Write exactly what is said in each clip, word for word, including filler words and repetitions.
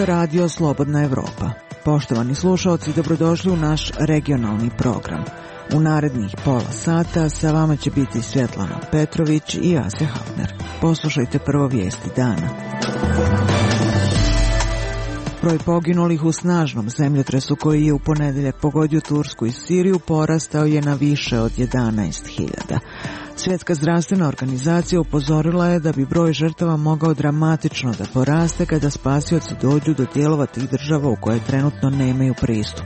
Radio Slobodna Evropa. Poštovani slušalci, dobrodošli u naš regionalni program. U narednih pola sata sa vama će biti Svjetlana Petrović i Asja Hafner. Poslušajte prvo vijesti dana. Broj poginulih u snažnom zemljotresu koji je u ponedjeljak pogodio Tursku i Siriju porastao je na više od jedanaest hiljada. Svjetska zdravstvena organizacija upozorila je da bi broj žrtava mogao dramatično da poraste kada spasioci dođu do dijelova tih država u koje trenutno nemaju pristup.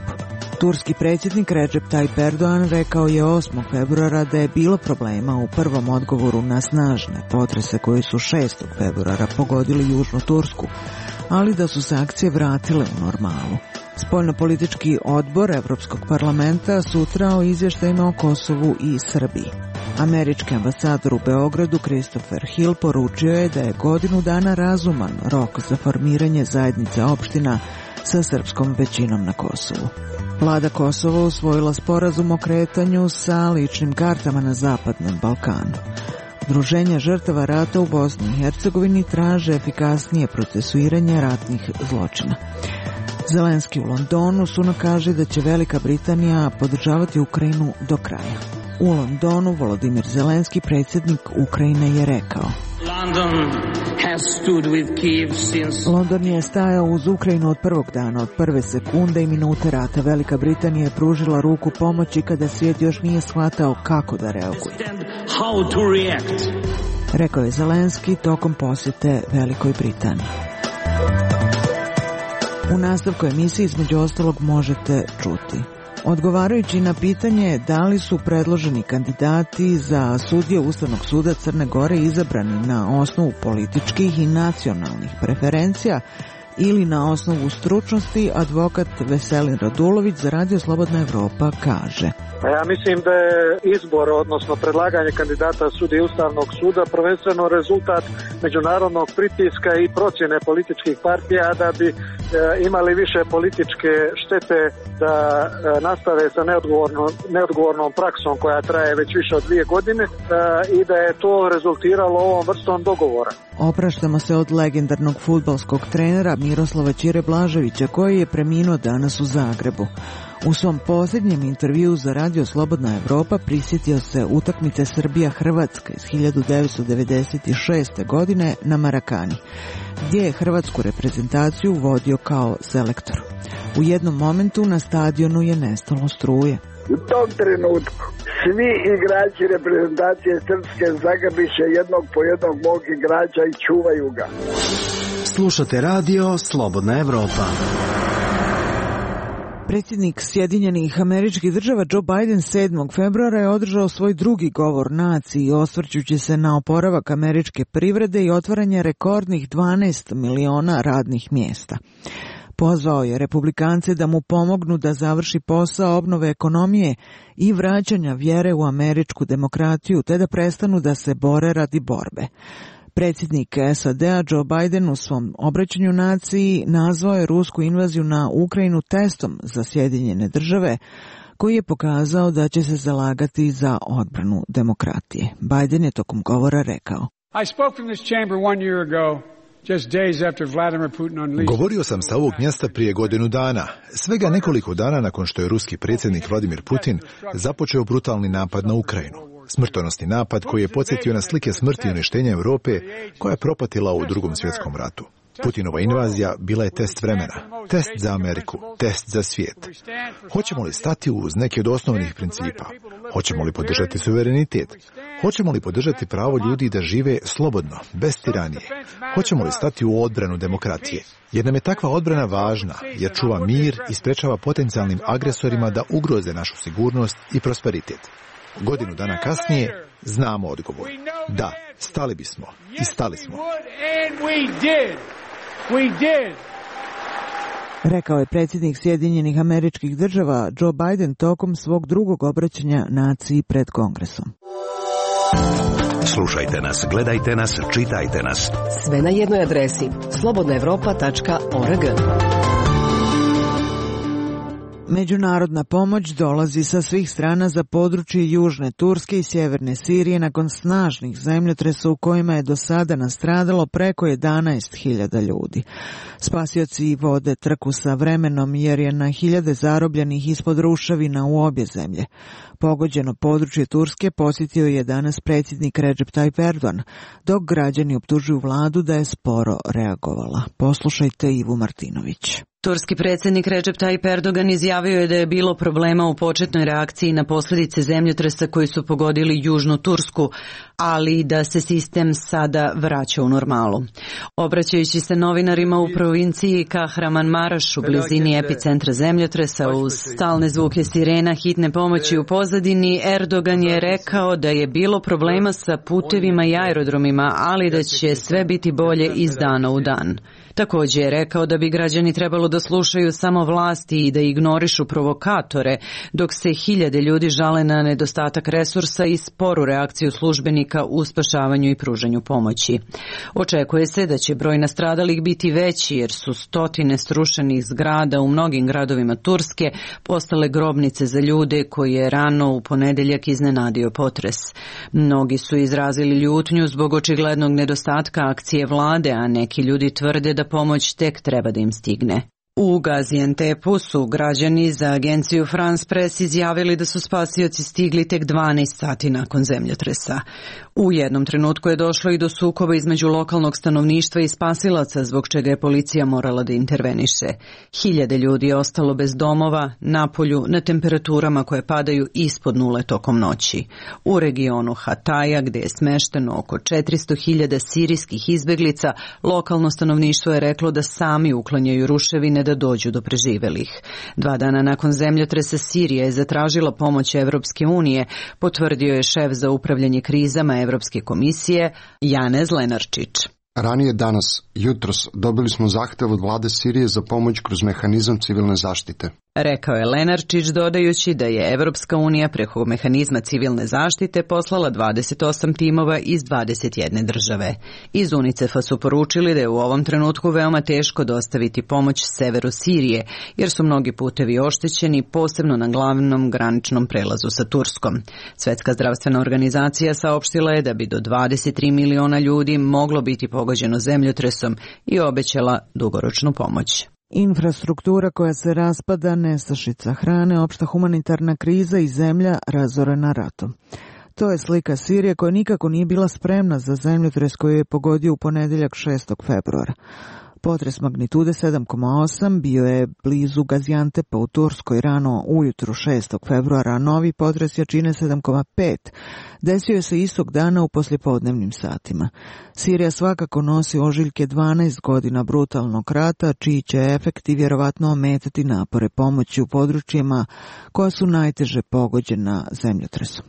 Turski predsjednik Recep Tayyip Erdogan rekao je osmog februara da je bilo problema u prvom odgovoru na snažne potrese koji su šestog februara pogodili južnu Tursku, ali da su se akcije vratile u normalu. Spoljnopolitički odbor Evropskog parlamenta sutra o izvještajima o Kosovu i Srbiji. Američki ambasador u Beogradu Christopher Hill poručio je da je godinu dana razuman rok za formiranje zajednice opština sa srpskom većinom na Kosovu. Vlada Kosova usvojila sporazum o kretanju sa ličnim kartama na Zapadnom Balkanu. Udruženja žrtava rata u Bosni i Hercegovini traže efikasnije procesuiranje ratnih zločina. Zelenski u Londonu sutra kaže da će Velika Britanija podržavati Ukrajinu do kraja. U Londonu Volodimir Zelenski, predsjednik Ukrajine, je rekao: London has stood with Kyiv since... London je stajao uz Ukrajinu od prvog dana, od prve sekunde i minute rata. Velika Britanija je pružila ruku pomoći kada svijet još nije shvatao kako da reaguje. How to react. Rekao je Zelenski tokom posjete Velikoj Britaniji. U nastavku emisije između ostalog možete čuti: odgovarajući na pitanje da li su predloženi kandidati za sudije Ustavnog suda Crne Gore izabrani na osnovu političkih i nacionalnih preferencija ili na osnovu stručnosti, advokat Veselin Radulović za Radio Slobodna Evropa kaže: Ja mislim da je izbor, odnosno predlaganje kandidata sudije Ustavnog suda prvenstveno rezultat međunarodnog pritiska i procjene političkih partija da bi e, imali više političke štete da e, nastave sa neodgovornom, neodgovornom praksom koja traje već više od dvije godine e, i da je to rezultiralo ovom vrstom dogovora. Opraštamo se od legendarnog fudbalskog trenera Miroslava Ćire Blaževića koji je preminuo danas u Zagrebu. U svom posljednjem intervjuu za Radio Slobodna Evropa prisjetio se utakmice Srbija-Hrvatska iz hiljadu devetsto devedeset šeste. godine na Marakani, gdje je hrvatsku reprezentaciju vodio kao selektor. U jednom momentu na stadionu je nestalo struje. U tom trenutku svi igrači reprezentacije srpske zagrbiše jednog po jednog mog igrača i čuvaju ga. Slušate Radio Slobodna Evropa. Predsjednik Sjedinjenih Američkih Država Joe Biden sedmog februara je održao svoj drugi govor naciji, osvrćući se na oporavak američke privrede i otvaranje rekordnih dvanaest miliona radnih mjesta. Pozvao je republikance da mu pomognu da završi posao obnove ekonomije i vraćanja vjere u američku demokratiju, te da prestanu da se bore radi borbe. Predsjednik S A D-a Joe Biden u svom obraćanju naciji nazvao je rusku invaziju na Ukrajinu testom za Sjedinjene Države, koji je pokazao da će se zalagati za odbranu demokratije. Biden je tokom govora rekao: I spoke from this chamber one year ago. Govorio sam sa ovog mjesta prije godinu dana, svega nekoliko dana nakon što je ruski predsjednik Vladimir Putin započeo brutalni napad na Ukrajinu. Smrtonosni napad koji je podsjetio na slike smrti i uništenja Europe koja je propatila u Drugom svjetskom ratu. Putinova invazija bila je test vremena, test za Ameriku, test za svijet. Hoćemo li stati uz neke od osnovnih principa? Hoćemo li podržati suverenitet? Hoćemo li podržati pravo ljudi da žive slobodno, bez tiranije? Hoćemo li stati u odbranu demokratije? Jer nam je takva odbrana važna, jer čuva mir i sprečava potencijalnim agresorima da ugroze našu sigurnost i prosperitet. Godinu dana kasnije znamo odgovor. Da, stali bismo i stali smo. Rekao je predsjednik Sjedinjenih Američkih Država Joe Biden tokom svog drugog obraćanja naciji pred Kongresom. Slušajte nas, gledajte nas, čitajte nas. Sve na jednoj adresi slobodna evropa tačka org. Međunarodna pomoć dolazi sa svih strana za područje južne Turske i sjeverne Sirije nakon snažnih zemljotresa u kojima je do sada nastradalo preko jedanaest hiljada ljudi. Spasioci vode trku sa vremenom jer je na hiljade zarobljenih ispod ruševina u obje zemlje. Pogođeno područje Turske posjetio je danas predsjednik Recep Tayyip Erdogan, dok građani optužuju vladu da je sporo reagovala. Poslušajte Ivu Martinović. Turski predsjednik Recep Tayyip Erdogan izjavio je da je bilo problema u početnoj reakciji na posljedice zemljotresa koji su pogodili južnu Tursku, ali da se sistem sada vraća u normalu. Obraćajući se novinarima u provinciji Kahramanmaraš u blizini epicentra zemljotresa uz stalne zvuke sirena hitne pomoći u pozadini, Erdogan je rekao da je bilo problema sa putevima i aerodromima, ali da će sve biti bolje iz dana u dan. Također je rekao da bi građani trebalo da slušaju samo vlasti i da ignorišu provokatore, dok se hiljade ljudi žale na nedostatak resursa i sporu reakciju službenika u spašavanju i pružanju pomoći. Očekuje se da će broj nastradalih biti veći jer su stotine srušenih zgrada u mnogim gradovima Turske postale grobnice za ljude koje je rano u ponedjeljak iznenadio potres. Mnogi su izrazili ljutnju zbog očiglednog nedostatka akcije vlade, a neki ljudi tvrde da pomoć tek treba da im stigne. U Gaziantepu su građani za agenciju France Press izjavili da su spasioci stigli tek dvanaest sati nakon zemljotresa. U jednom trenutku je došlo i do sukoba između lokalnog stanovništva i spasilaca, zbog čega je policija morala da interveniše. Hiljade ljudi je ostalo bez domova, na polju, na temperaturama koje padaju ispod nule tokom noći. U regionu Hataja, gdje je smešteno oko četiristo hiljada sirijskih izbeglica, lokalno stanovništvo je reklo da sami uklanjaju ruševine da dođu do preživelih. Dva dana nakon zemljotresa Sirija je zatražila pomoć Evropske unije, potvrdio je šef za upravljanje krizama Evropske komisije Janez Lenarčić. Ranije danas, jutros, dobili smo zahtev od vlade Sirije za pomoć kroz mehanizam civilne zaštite. Rekao je Lenarčić, dodajući da je Evropska unija preko mehanizma civilne zaštite poslala dvadeset osam timova iz dvadeset jedne države. Iz UNICEF-a su poručili da je u ovom trenutku veoma teško dostaviti pomoć severu Sirije, jer su mnogi putevi oštećeni, posebno na glavnom graničnom prelazu sa Turskom. Svjetska zdravstvena organizacija saopštila je da bi do dvadeset tri miliona ljudi moglo biti pogođeno zemljotresom i obećala dugoročnu pomoć. Infrastruktura koja se raspada, nestašica hrane, opšta humanitarna kriza i zemlja razorena ratom. To je slika Sirije koja nikako nije bila spremna za zemljotres koji je pogodio u ponedjeljak šestog februara. Potres magnitude sedam zarez osam bio je blizu Gaziantepa u Turskoj rano ujutru šestog februara, a novi potres jačine sedam zarez pet desio je se istog dana u poslijepodnevnim satima. Sirija svakako nosi ožiljke dvanaest godina brutalnog rata, čiji će efekti vjerovatno ometati napore pomoći u područjima koja su najteže pogođena zemljotresom.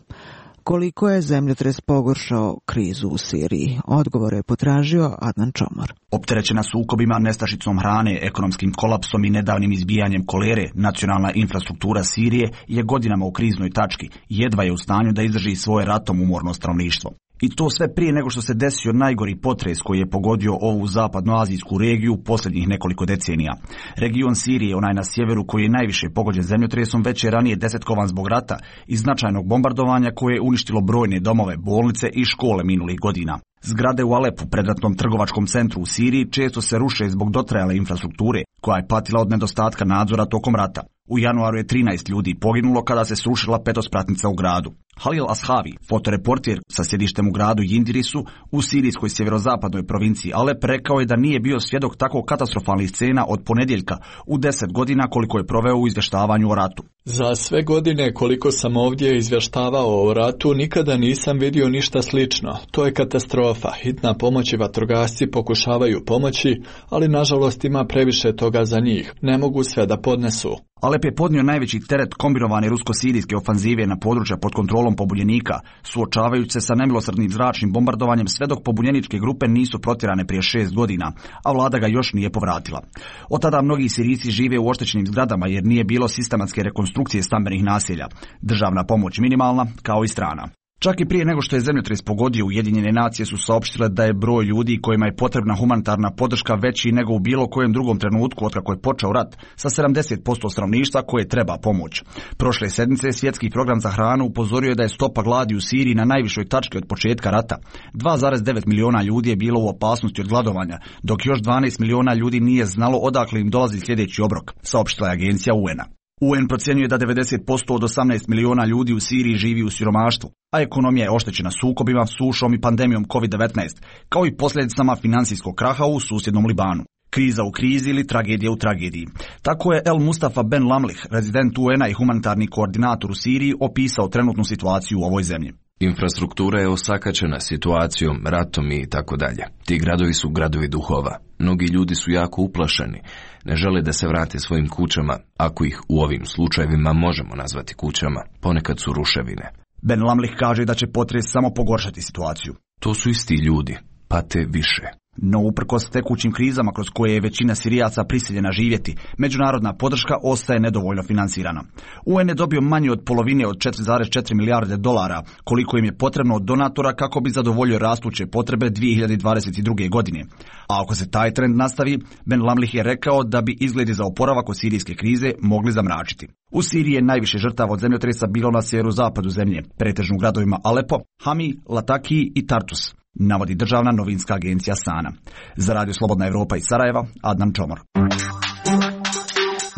Koliko je zemljotres pogoršao krizu u Siriji? Odgovor je potražio Adnan Čomor. Opterećena sukobima, nestašicom hrane, ekonomskim kolapsom i nedavnim izbijanjem kolere, nacionalna infrastruktura Sirije je godinama u kriznoj tački i jedva je u stanju da izdrži svoje ratom umorno stanovništvo. I to sve prije nego što se desio najgori potres koji je pogodio ovu zapadnoazijsku regiju posljednjih nekoliko decenija. Region Sirije, onaj na sjeveru koji je najviše pogođen zemljotresom, već je ranije desetkovan zbog rata i značajnog bombardovanja koje je uništilo brojne domove, bolnice i škole minulih godina. Zgrade u Alepu, predratnom trgovačkom centru u Siriji, često se ruše zbog dotrajale infrastrukture, koja je patila od nedostatka nadzora tokom rata. U januaru je trinaest ljudi poginulo kada se srušila petospratnica u gradu. Halil Ashavi, fotoreportir sa sjedištem u gradu Yindirisu u sirijskoj sjeverozapadnoj provinciji Alep, rekao je da nije bio svjedok tako katastrofalnih scena od ponedjeljka u deset godina koliko je proveo u izvještavanju o ratu. Za sve godine koliko sam ovdje izvještavao o ratu, nikada nisam vidio ništa slično. To je katastrofa. Hitna pomoć i vatrogasci pokušavaju pomoći, ali nažalost ima previše toga za njih. Ne mogu sve da podnesu. Alep je podnio najveći teret kombinovane rusko-sirijske ofanzive na područja pod kontrolom pobunjenika, suočavajući se sa nemilosrdnim zračnim bombardovanjem sve dok pobunjeničke grupe nisu protjerane prije šest godina, a vlada ga još nije povratila. Od tada mnogi Sirijci žive u oštećenim zgradama jer nije bilo sistematske rekonstrukcije stambenih naselja. Državna pomoć minimalna, kao i strana. Čak i prije nego što je zemljotres pogodio, Ujedinjene nacije su saopštile da je broj ljudi kojima je potrebna humanitarna podrška veći nego u bilo kojem drugom trenutku otkako je počeo rat, sa sedamdeset posto stanovništva koje treba pomoć. Prošle sedmice Svjetski program za hranu upozorio je da je stopa gladi u Siriji na najvišoj tački od početka rata. dva zarez devet miliona ljudi je bilo u opasnosti od gladovanja, dok još dvanaest miliona ljudi nije znalo odakle im dolazi sljedeći obrok, saopštila je agencija U N-a. U N procjenjuje da devedeset posto od osamnaest miliona ljudi u Siriji živi u siromaštvu, a ekonomija je oštećena sukobima, sušom i pandemijom kovid devetnaest, kao i posljedicama financijskog kraha u susjednom Libanu. Kriza u krizi ili tragedija u tragediji. Tako je El Mustafa Ben Lamlih, rezident U N-a i humanitarni koordinator u Siriji, opisao trenutnu situaciju u ovoj zemlji. Infrastruktura je osakaćena situacijom, ratom i tako dalje. Ti gradovi su gradovi duhova. Mnogi ljudi su jako uplašeni. Ne žele da se vrate svojim kućama, ako ih u ovim slučajevima možemo nazvati kućama. Ponekad su ruševine. Ben Lamlih kaže da će potres samo pogoršati situaciju. To su isti ljudi, pate više. No uprkos tekućim krizama kroz koje je većina Sirijaca prisiljena živjeti, međunarodna podrška ostaje nedovoljno financirana. U N je dobio manje od polovine od četiri zarez četiri milijarde dolara, koliko im je potrebno od donatora kako bi zadovoljio rastuće potrebe dvije hiljade dvadeset druge. godine. A ako se taj trend nastavi, Ben Lamlih je rekao da bi izgledi za oporavak od sirijske krize mogli zamračiti. U Siriji je najviše žrtava od zemljotresa bilo na sjeverozapadu zemlje, pretežno u gradovima Alepo, Hami, Lataki i Tartus, navodi državna novinska agencija Sana. Za Radio Slobodna Evropa iz Sarajeva, Adnan Čomor.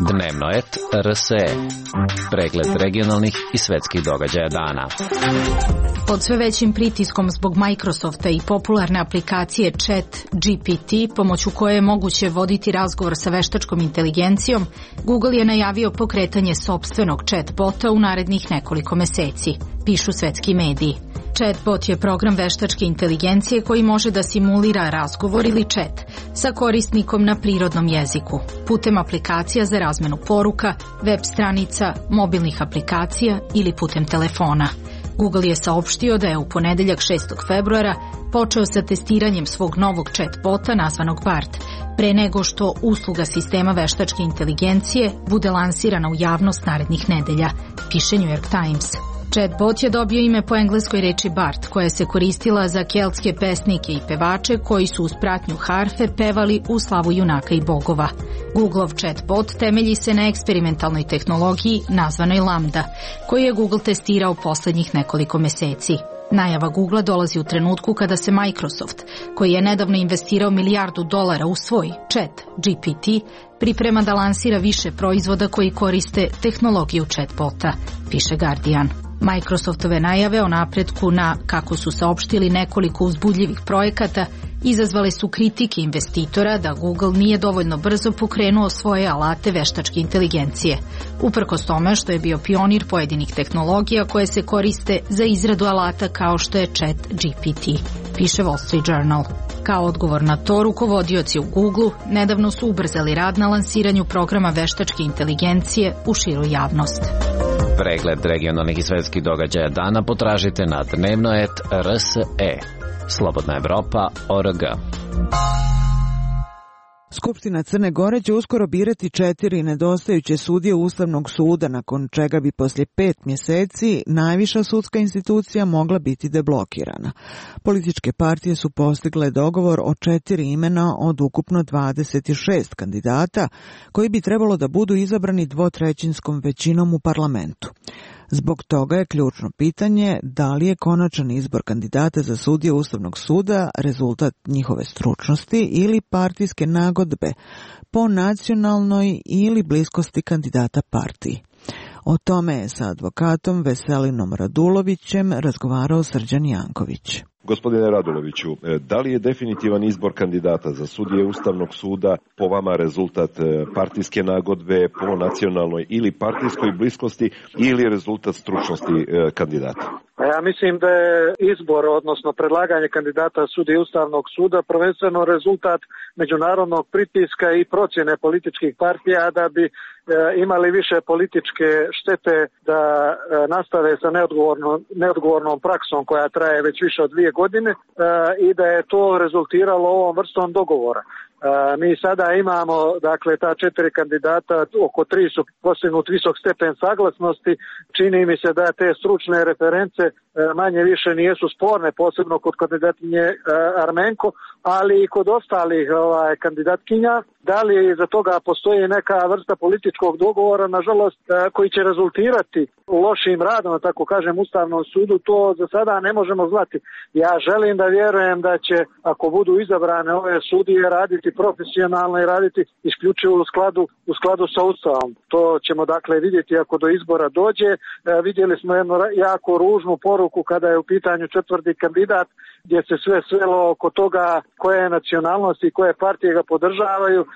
Dnevnoet R S E. Pregled regionalnih i svetskih događaja dana. Pod sve većim pritiskom zbog Microsofta i popularne aplikacije Chat G P T, pomoću koje je moguće voditi razgovor sa veštačkom inteligencijom, Google je najavio pokretanje sopstvenog chatbota u narednih nekoliko meseci, pišu svetski mediji. Chatbot je program veštačke inteligencije koji može da simulira razgovor ili chat sa korisnikom na prirodnom jeziku, putem aplikacija za razmenu poruka, web stranica, mobilnih aplikacija ili putem telefona. Google je saopštio da je u ponedeljak šestog februara počeo sa testiranjem svog novog chatbota nazvanog Bard, pre nego što usluga sistema veštačke inteligencije bude lansirana u javnost narednih nedelja, piše New York Times. Chatbot je dobio ime po engleskoj reči Bard, koja se koristila za keltske pesnike i pevače koji su uz pratnju harfe pevali u slavu junaka i bogova. Googleov chatbot temelji se na eksperimentalnoj tehnologiji nazvanoj Lambda, koju je Google testirao poslednjih nekoliko meseci. Najava Googlea dolazi u trenutku kada se Microsoft, koji je nedavno investirao milijardu dolara u svoj Chat G P T, priprema da lansira više proizvoda koji koriste tehnologiju chatbota, piše Guardian. Microsoftove najave o napretku na, kako su saopštili, nekoliko uzbudljivih projekata izazvale su kritike investitora da Google nije dovoljno brzo pokrenuo svoje alate veštačke inteligencije, uprkos tome što je bio pionir pojedinih tehnologija koje se koriste za izradu alata kao što je Chat G P T, piše Wall Street Journal. Kao odgovor na to, rukovodioci u Googleu nedavno su ubrzali rad na lansiranju programa veštačke inteligencije u širu javnost. Pregled regionalnih i svetskih događaja dana potražite na dnevnoet R S E. Slobodna Evropa, O R G. Skupština Crne Gore će uskoro birati četiri nedostajuće sudije Ustavnog suda, nakon čega bi poslije pet mjeseci najviša sudska institucija mogla biti deblokirana. Političke partije su postigle dogovor o četiri imena od ukupno dvadeset šest kandidata, koji bi trebalo da budu izabrani dvotrećinskom većinom u parlamentu. Zbog toga je ključno pitanje da li je konačan izbor kandidata za sudije Ustavnog suda rezultat njihove stručnosti ili partijske nagodbe po nacionalnoj ili bliskosti kandidata partiji. O tome je sa advokatom Veselinom Radulovićem razgovarao Srđan Janković. Gospodine Raduloviću, da li je definitivan izbor kandidata za sudije Ustavnog suda po vama rezultat partijske nagodbe po nacionalnoj ili partijskoj bliskosti ili rezultat stručnosti kandidata? Ja mislim da je izbor, odnosno predlaganje kandidata sudije Ustavnog suda prvenstveno rezultat međunarodnog pritiska i procjene političkih partija da bi imali više političke štete da nastave sa neodgovornom, neodgovornom praksom koja traje već više od dvije godine i da je to rezultiralo ovom vrstom dogovora. Mi sada imamo, dakle, ta četiri kandidata, oko tri su postignut visok stepen saglasnosti. Čini mi se da te stručne reference manje više nijesu sporne, posebno kod kandidatkinje Armenko, ali i kod ostalih ovaj, kandidatkinja. Da li za toga postoji neka vrsta političkog dogovora, nažalost, koji će rezultirati lošim radom, tako kažem, Ustavnom sudu, to za sada ne možemo znati. Ja želim da vjerujem da će, ako budu izabrane ove sudije, raditi profesionalno i raditi isključivo u skladu, u skladu sa Ustavom. To ćemo dakle vidjeti ako do izbora dođe. E, vidjeli smo jednu jako ružnu poruku kada je u pitanju četvrti kandidat, gdje se sve svelo oko toga koje je nacionalnosti i koje partije ga podržavaju. E,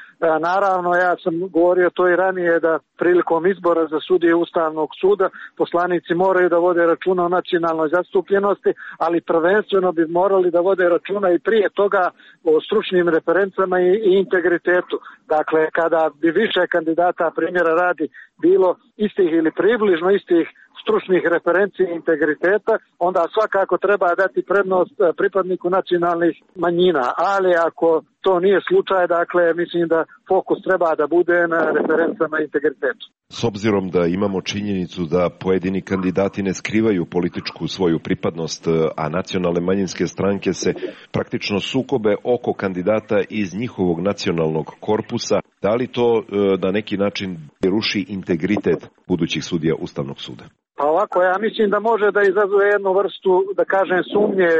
naravno, ja sam govorio to i ranije da prilikom izbora za sudije Ustavnog suda poslanici moraju da vode računa o nacionalnoj zastupljenosti, ali prvenstveno bi morali da vode računa i prije toga o stručnim referencama i, i integritetu. Dakle, kada bi više kandidata, primjera radi, bilo istih ili približno istih stručnih referenci i integriteta, onda svakako treba dati prednost pripadniku nacionalnih manjina, ali ako to nije slučaj, dakle, mislim da fokus treba da bude na referencama i integritetu. S obzirom da imamo činjenicu da pojedini kandidati ne skrivaju političku svoju pripadnost, a nacionalne manjinske stranke se praktično sukobe oko kandidata iz njihovog nacionalnog korpusa, da li to na neki način ruši integritet budućih sudija Ustavnog suda? Pa ovako, ja mislim da može da izazove jednu vrstu, da kažem, sumnje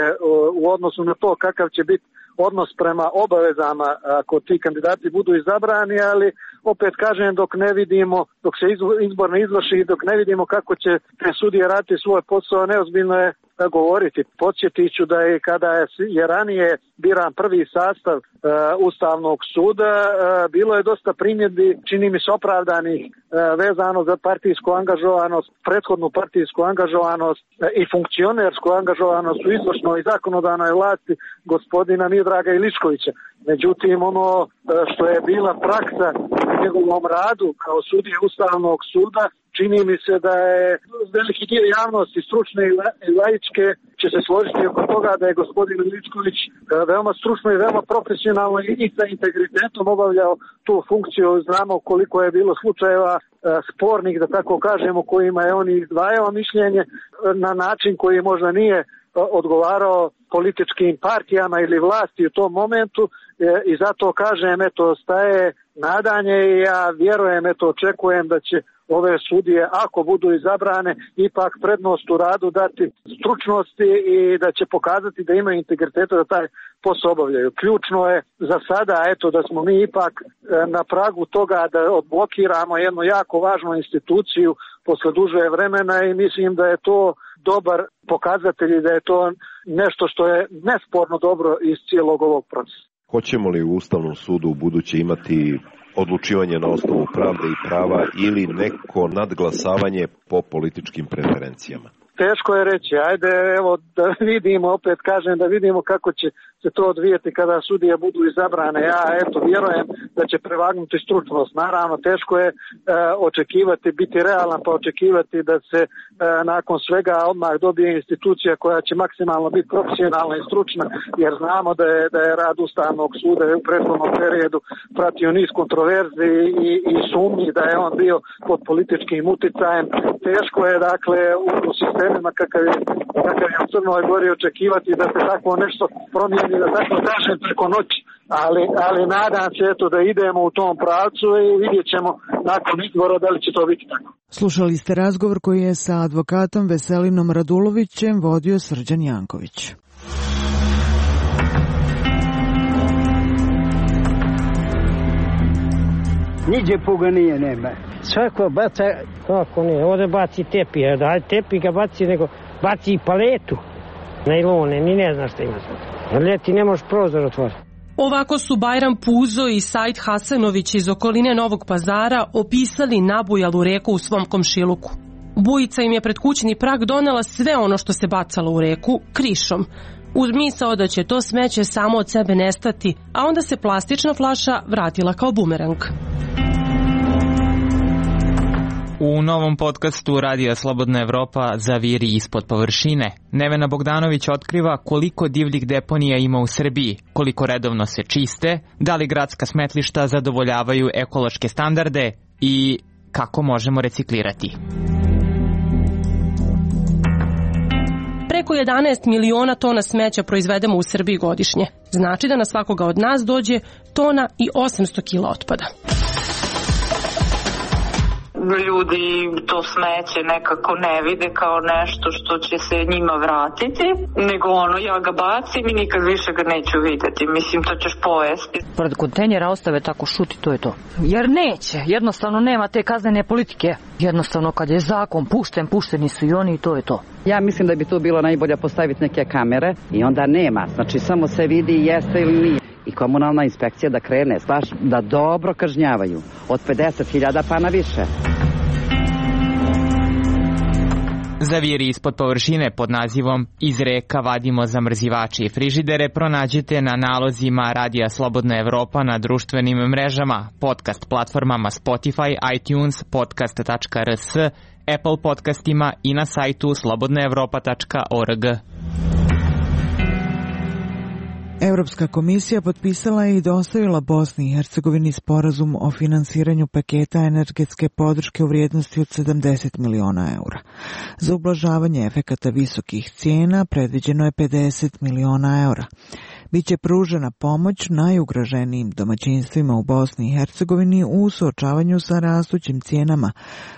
u odnosu na to kakav će biti odnos prema obavezama ako ti kandidati budu izabrani, ali opet kažem, dok ne vidimo, dok se izbor ne izvrši, dok ne vidimo kako će te sudije raditi svoj posao, neozbiljno je govoriti. Podsjetit ću da je kada je ranije biran prvi sastav e, Ustavnog suda, e, bilo je dosta primjedbi, čini mi se opravdanih, e, vezano za partijsku angažovanost, prethodnu partijsku angažovanost e, i funkcionersku angažovanost u izvršnoj i zakonodavnoj vlasti gospodina Miodraga Iličkovića. Međutim, ono e, što je bila praksa u njegovom radu kao sudije Ustavnog suda, čini mi se da je veliki dio javnosti, stručne i laičke, će se složiti oko toga da je gospodin Iličković veoma stručno i veoma profesionalno i sa integritetom obavljao tu funkciju. Znamo koliko je bilo slučajeva spornih, da tako kažemo, kojima je on izdvajao mišljenje na način koji možda nije odgovarao političkim partijama ili vlasti u tom momentu, i zato kažem, eto, staje nadanje i ja vjerujem, eto, očekujem da će ove sudije, ako budu izabrane, ipak prednost u radu dati stručnosti i da će pokazati da imaju integriteta da taj posao obavljaju. Ključno je za sada, eto, da smo mi ipak na pragu toga da odblokiramo jednu jako važnu instituciju posle duže vremena i mislim da je to dobar pokazatelj i da je to nešto što je nesporno dobro iz cijelog ovog procesa. Hoćemo li u Ustavnom sudu u buduće imati odlučivanje na osnovu pravde i prava ili neko nadglasavanje po političkim preferencijama? Teško je reći, ajde evo da vidimo, opet kažem da vidimo kako će se to odvijeti kada sudije budu izabrane. Ja eto vjerujem da će prevagnuti stručnost. Naravno teško je e, očekivati, biti realan pa očekivati da se e, nakon svega odmah dobije institucija koja će maksimalno biti profesionalna i stručna, jer znamo da je, da je rad Ustavnog suda u prethodnom periodu pratio niz kontroverzi i, i sumnji da je on bio pod političkim uticajem. Teško je dakle u, u sistemima kakav je, kakav je u Crnoj Gori očekivati da se tako nešto promijeni, da tako kažem, preko noći, ali, ali nadam se eto da idemo u tom pravcu i vidjet ćemo nakon izbora da li će to biti tako. Slušali ste razgovor koji je sa advokatom Veselinom Radulovićem vodio Srđan Janković. Niđe puga nije, nema. Svako baca, kako nije, ovdje baci tepi, daj tepi ga baci, nego baci i paletu. Najlone, ni ne znaš šta ima sad. Ljeti ne možeš prozor otvoriti. Ovako su Bajram Puzo i Said Hasanović iz okoline Novog Pazara opisali nabujalu reku u svom komšiluku. Bujica im je pred kućni prag donela sve ono što se bacalo u reku krišom, uz misao da će to smeće samo od sebe nestati, a onda se plastična flaša vratila kao bumerang. U novom podcastu Radija Slobodna Evropa Zaviri ispod površine, Nevena Bogdanović otkriva koliko divljih deponija ima u Srbiji, koliko redovno se čiste, da li gradska smetlišta zadovoljavaju ekološke standarde i kako možemo reciklirati. Preko jedanaest miliona tona smeća proizvedemo u Srbiji godišnje. Znači da na svakoga od nas dođe tona i osamsto kila otpada. Ljudi to smeće nekako ne vide kao nešto što će se njima vratiti, nego ono, ja ga bacim i nikad više ga neću vidjeti. Mislim, to ćeš pojesti. Pored kontejnera ostave tako šuti, to je to. Jer neće, jednostavno nema te kaznene politike. Jednostavno kad je zakon pušten, pušteni su i oni i to je to. Ja mislim da bi tu bilo najbolje postaviti neke kamere i onda nema. Znači samo se vidi jeste ili nije. I komunalna inspekcija da krene, baš da dobro kažnjavaju. Od pedeset hiljada pa na više. Zaviri ispod površine pod nazivom Iz reka vadimo zamrzivače i frižidere pronađite na nalozima Radija Slobodna Evropa na društvenim mrežama, podcast platformama Spotify, iTunes, podcast tačka r s, Apple podcastima i na sajtu slobodna evropa tačka org. Europska komisija potpisala je i dostavila Bosni i Hercegovini sporazum o finansiranju paketa energetske podrške u vrijednosti od sedamdeset miliona eura. Za ublažavanje efekata visokih cijena predviđeno je pedeset miliona eura. Biće pružena pomoć najugroženijim domaćinstvima u Bosni i Hercegovini u suočavanju sa rastućim cijenama,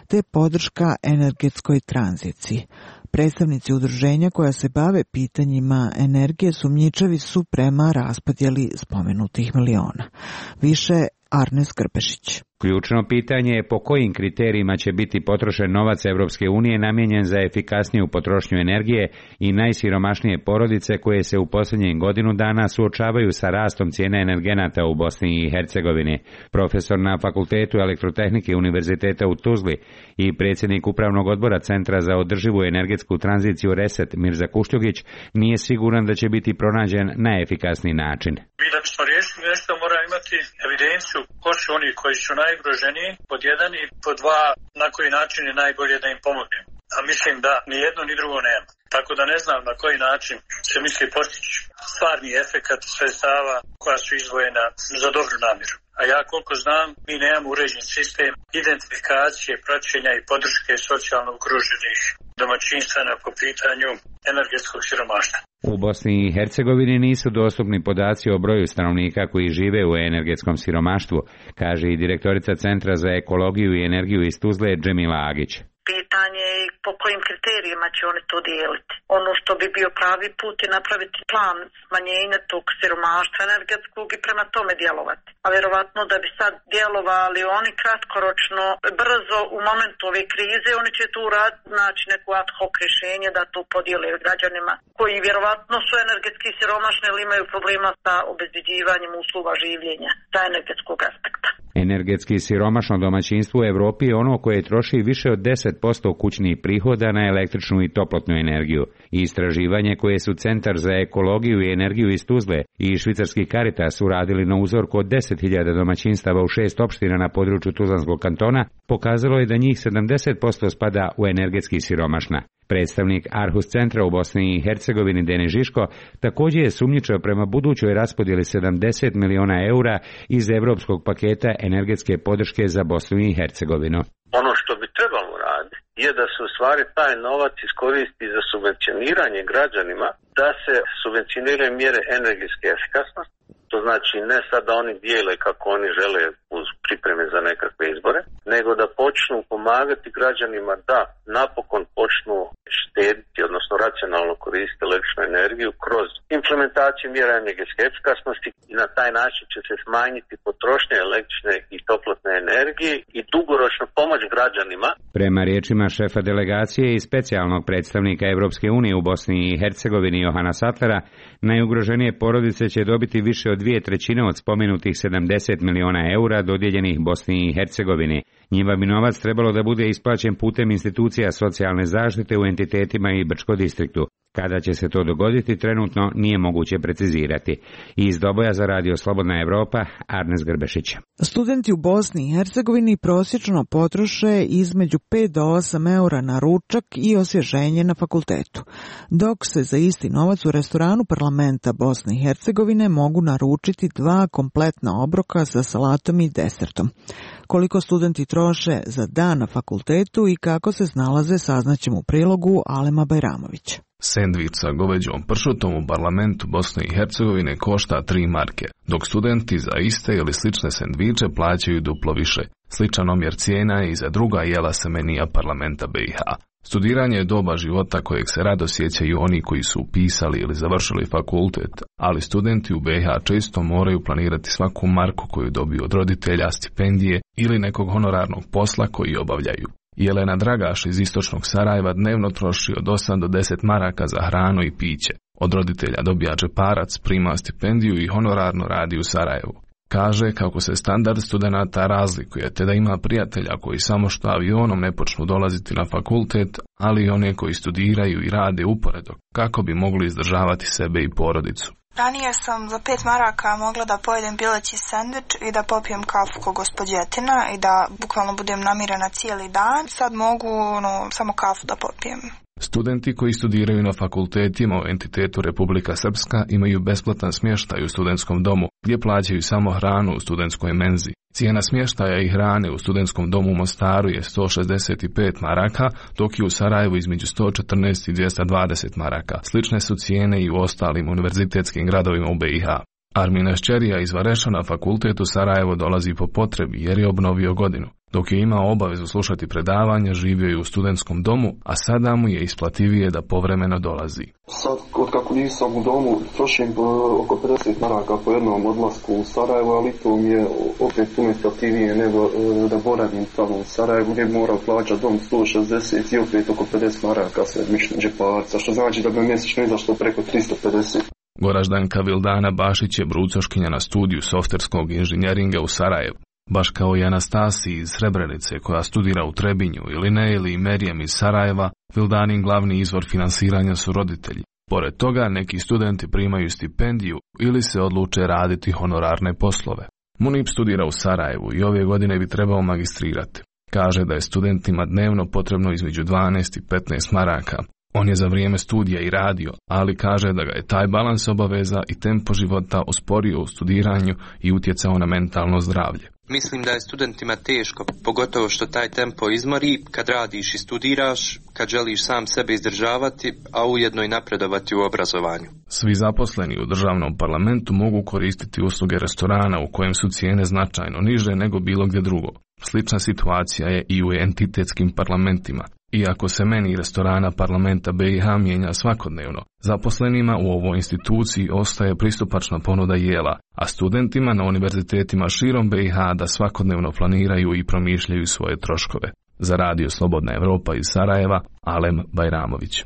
te podrška energetskoj tranziciji. Predstavnici udruženja koja se bave pitanjima energije sumnjičavi su prema raspodjeli spomenutih miliona. Više Arnes Krpešić. Ključno pitanje je po kojim kriterijima će biti potrošen novac Evropske unije namijenjen za efikasniju potrošnju energije i najsiromašnije porodice koje se u posljednjih godinu dana suočavaju sa rastom cijene energenata u Bosni i Hercegovini. Profesor na Fakultetu elektrotehnike Univerziteta u Tuzli i predsjednik Upravnog odbora Centra za održivu energetsku tranziciju Reset Mirza Kušljugić nije siguran da će biti pronađen najefikasniji način. Mi da bismo riješili nešto moramo imati evidenciju ko su oni koji su najgroženiji, pod jedan, i pod dva, na koji način je najbolje da im pomognemo. A mislim da ni jedno ni drugo nema. Tako da ne znam na koji način se misli postići stvarni efekat sredstava koja su izdvojena za dobru namjeru. A ja koliko znam, mi nemamo uređen sistem identifikacije, praćenja i podrške socijalno ugroženih domaćinstava po pitanju energetskog siromaštva. U Bosni i Hercegovini nisu dostupni podaci o broju stanovnika koji žive u energetskom siromaštvu, kaže i direktorica Centra za ekologiju i energiju iz Tuzle Džemila Agić. Pitanje je po kojim kriterijima će oni to dijeliti. Ono što bi bio pravi put je napraviti plan smanjenja tog siromaštva energetskog i prema tome djelovati. A vjerovatno da bi sad djelovali oni kratkoročno, brzo u momentu ove krize, oni će tu uraditi, znači neko ad hoc rješenje da to podijele građanima koji vjerovatno su energetski siromašni ili imaju problema sa obezbeđivanjem uslova življenja sa energetskog aspekta. Energetski siromašno domaćinstvo u Evropi je ono koje troši više od deset posto kućnih prihoda na električnu i toplotnu energiju. I istraživanje koje su Centar za ekologiju i energiju iz Tuzle i švicarski Caritas uradili na uzorku od deset hiljada domaćinstava u šest opština na području Tuzlanskog kantona pokazalo je da njih sedamdeset posto spada u energetski siromašna. Predstavnik Arhus centra u Bosni i Hercegovini Denis Žiško također je sumnjičao prema budućoj raspodjeli sedamdeset miliona eura iz evropskog paketa energetske podrške za Bosnu i Hercegovinu. Ono što bi trebalo raditi je da se u stvari taj novac iskoristi za subvencioniranje građanima, da se subvencioniraju mjere energetske efikasnosti. To znači ne sad da oni dijele kako oni žele uz pripreme za nekakve izbore, nego da počnu pomagati građanima da napokon počnu štediti, odnosno racionalno koristiti električnu energiju kroz implementaciju mjera energetske efikasnosti i na taj način će se smanjiti potrošnja električne i toplotne energije i dugoročno pomoć građanima. Prema riječima šefa delegacije i specijalnog predstavnika Evropske unije u Bosni i Hercegovini Johana Satlera, najugroženije porodice će dobiti više od dvije trećine od spomenutih sedamdeset miliona eura dodijeljenih Bosni i Hercegovini. Njima bi novac trebalo da bude isplaćen putem institucija socijalne zaštite u entitetima i Brčko distriktu. Kada će se to dogoditi, trenutno nije moguće precizirati. Iz Doboja za Radio Slobodna Evropa, Arnes Grbešić. Studenti u Bosni i Hercegovini prosječno potroše između pet do osam eura na ručak i osvježenje na fakultetu, dok se za isti novac u restoranu parlamenta Bosne i Hercegovine mogu naručiti dva kompletna obroka sa salatom i desertom. Koliko studenti troše za dan na fakultetu i kako se snalaze, saznaćemo u prilogu Alema Bajramovića. Sendvič sa goveđom pršutom u parlamentu Bosne i Hercegovine košta tri marke, dok studenti za iste ili slične sendviče plaćaju duplo više. Sličan omjer cijena je i za druga jela sa menija parlamenta B i H. Studiranje je doba života kojeg se rado sjećaju oni koji su upisali ili završili fakultet, ali studenti u B i H često moraju planirati svaku marku koju dobiju od roditelja, stipendije ili nekog honorarnog posla koji obavljaju. Jelena Dragaš iz istočnog Sarajeva dnevno troši od osam do deset maraka za hranu i piće. Od roditelja dobija džeparac, prima stipendiju i honorarno radi u Sarajevu. Kaže kako se standard studenata razlikuje, te da ima prijatelja koji samo što avionom ne počnu dolaziti na fakultet, ali i one koji studiraju i rade uporedo, kako bi mogli izdržavati sebe i porodicu. Ranije sam za pet maraka mogla da pojedem pileći sendvič i da popijem kafu ko gospođetina i da bukvalno budem namirena cijeli dan. Sad mogu no, samo kafu da popijem. Studenti koji studiraju na fakultetima u entitetu Republika Srpska imaju besplatan smještaj u studentskom domu, gdje plaćaju samo hranu u studentskoj menzi. Cijena smještaja i hrane u studentskom domu u Mostaru je sto šezdeset pet maraka, dok je u Sarajevu između sto četrnaest i dvjesto dvadeset maraka. Slične su cijene i u ostalim univerzitetskim gradovima u B i H. Armina Šćerija iz Vareša na fakultet u Sarajevo dolazi po potrebi jer je obnovio godinu. Dok je imao obavezu slušati predavanja, živio je u studentskom domu, a sada mu je isplativije da povremeno dolazi. Sad, od kako nisam u domu, trošim oko pedeset maraka po jednom odlasku u Sarajevo, ali to mi je opet puno isplativije nego da boravim tamo u Sarajevu, gdje moram plaćati dom sto šezdeset i opet oko pedeset maraka sve mišljen džeparca, što znači da bi mjesečno izašlo preko tristo pedeset. Goraždanka Vildana Bašić je brucoškinja na studiju softverskog inženjeringa u Sarajevu. Baš kao i Anastasiji iz Srebrenice koja studira u Trebinju ili Neili i Merijem iz Sarajeva, Vildanin glavni izvor finansiranja su roditelji. Pored toga, neki studenti primaju stipendiju ili se odluče raditi honorarne poslove. Munib studira u Sarajevu i ove godine bi trebao magistrirati. Kaže da je studentima dnevno potrebno između dvanaest i petnaest maraka. On je za vrijeme studija i radio, ali kaže da ga je taj balans obaveza i tempo života usporio u studiranju i utjecao na mentalno zdravlje. Mislim da je studentima teško, pogotovo što taj tempo izmori kad radiš i studiraš, kad želiš sam sebe izdržavati, a ujedno i napredovati u obrazovanju. Svi zaposleni u državnom parlamentu mogu koristiti usluge restorana u kojem su cijene značajno niže nego bilo gdje drugo. Slična situacija je i u entitetskim parlamentima. Iako se meni restorana parlamenta B i H mijenja svakodnevno, zaposlenima u ovoj instituciji ostaje pristupačna ponuda jela, a studentima na univerzitetima širom B i H da svakodnevno planiraju i promišljaju svoje troškove. Za Radio Slobodna Evropa iz Sarajeva, Alem Bajramović.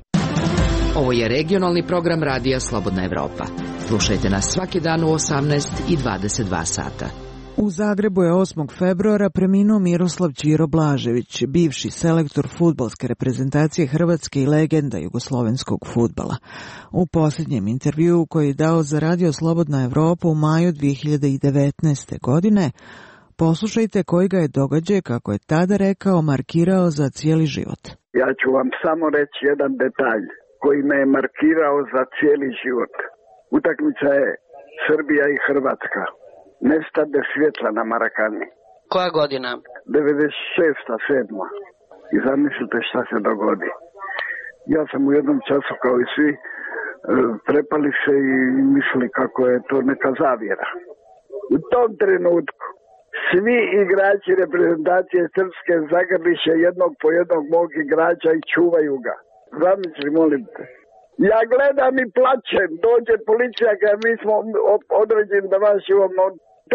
Ovo je regionalni program Radija Slobodna Evropa. Slušajte nas svaki dan u osamnaest i dvadeset dva sata. U Zagrebu je osmog februara preminuo Miroslav Ćiro Blažević, bivši selektor fudbalske reprezentacije Hrvatske i legenda jugoslovenskog fudbala. U posljednjem intervjuu koji je dao za Radio Slobodna Evropa u maju dvije hiljade devetnaeste. godine, poslušajte koji ga je događaj, kako je tada rekao, markirao za cijeli život. Ja ću vam samo reći jedan detalj koji me je markirao za cijeli život. Utakmica je Srbija i Hrvatska. Nestade svjetla na Marakani. Koja godina? devedeset šesta sedma I zamislite šta se dogodi. Ja sam u jednom času kao i svi prepali se i mislili kako je to neka zavjera. U tom trenutku svi igrači reprezentacije Srpske zagrliše jednog po jednog mog igrača i čuvaju ga. Zamisli, molim te. Ja gledam i plačem, dođe policija kada mi smo određeni da vas čuvamo.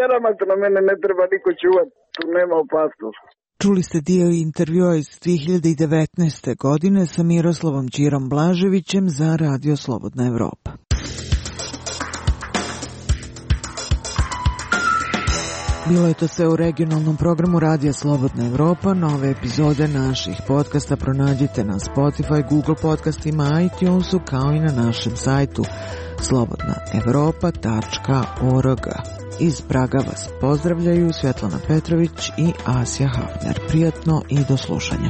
Teramate na mene, ne treba niko čuvati, tu nema opasnosti. Čuli ste dio intervjua iz dvije hiljade devetnaeste. godine sa Miroslavom Ćirom Blaževićem za Radio Slobodna Evropa. Bilo je to sve u regionalnom programu Radija Slobodna Evropa. Nove epizode naših podcasta pronađite na Spotify, Google podcastima, iTunesu, kao i na našem sajtu slobodna evropa tačka org. Iz Praga vas pozdravljaju Svetlana Petrović i Asja Hafner. Prijatno i do slušanja.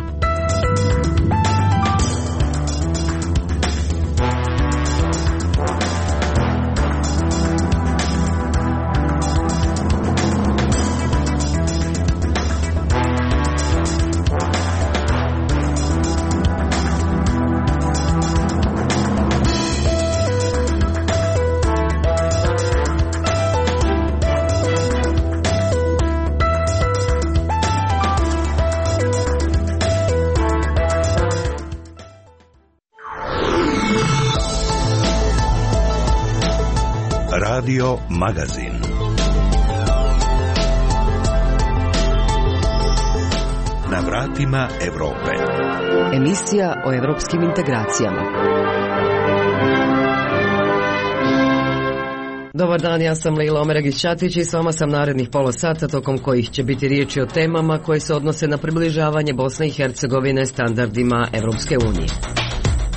Radio Magazin. Na vratima Evrope. Emisija o evropskim integracijama. Dobar dan, ja sam Leila Omeragić-Ćatić i s vama sam narednih pola sata, tokom kojih će biti riječi o temama koje se odnose na približavanje Bosne i Hercegovine standardima Evropske unije.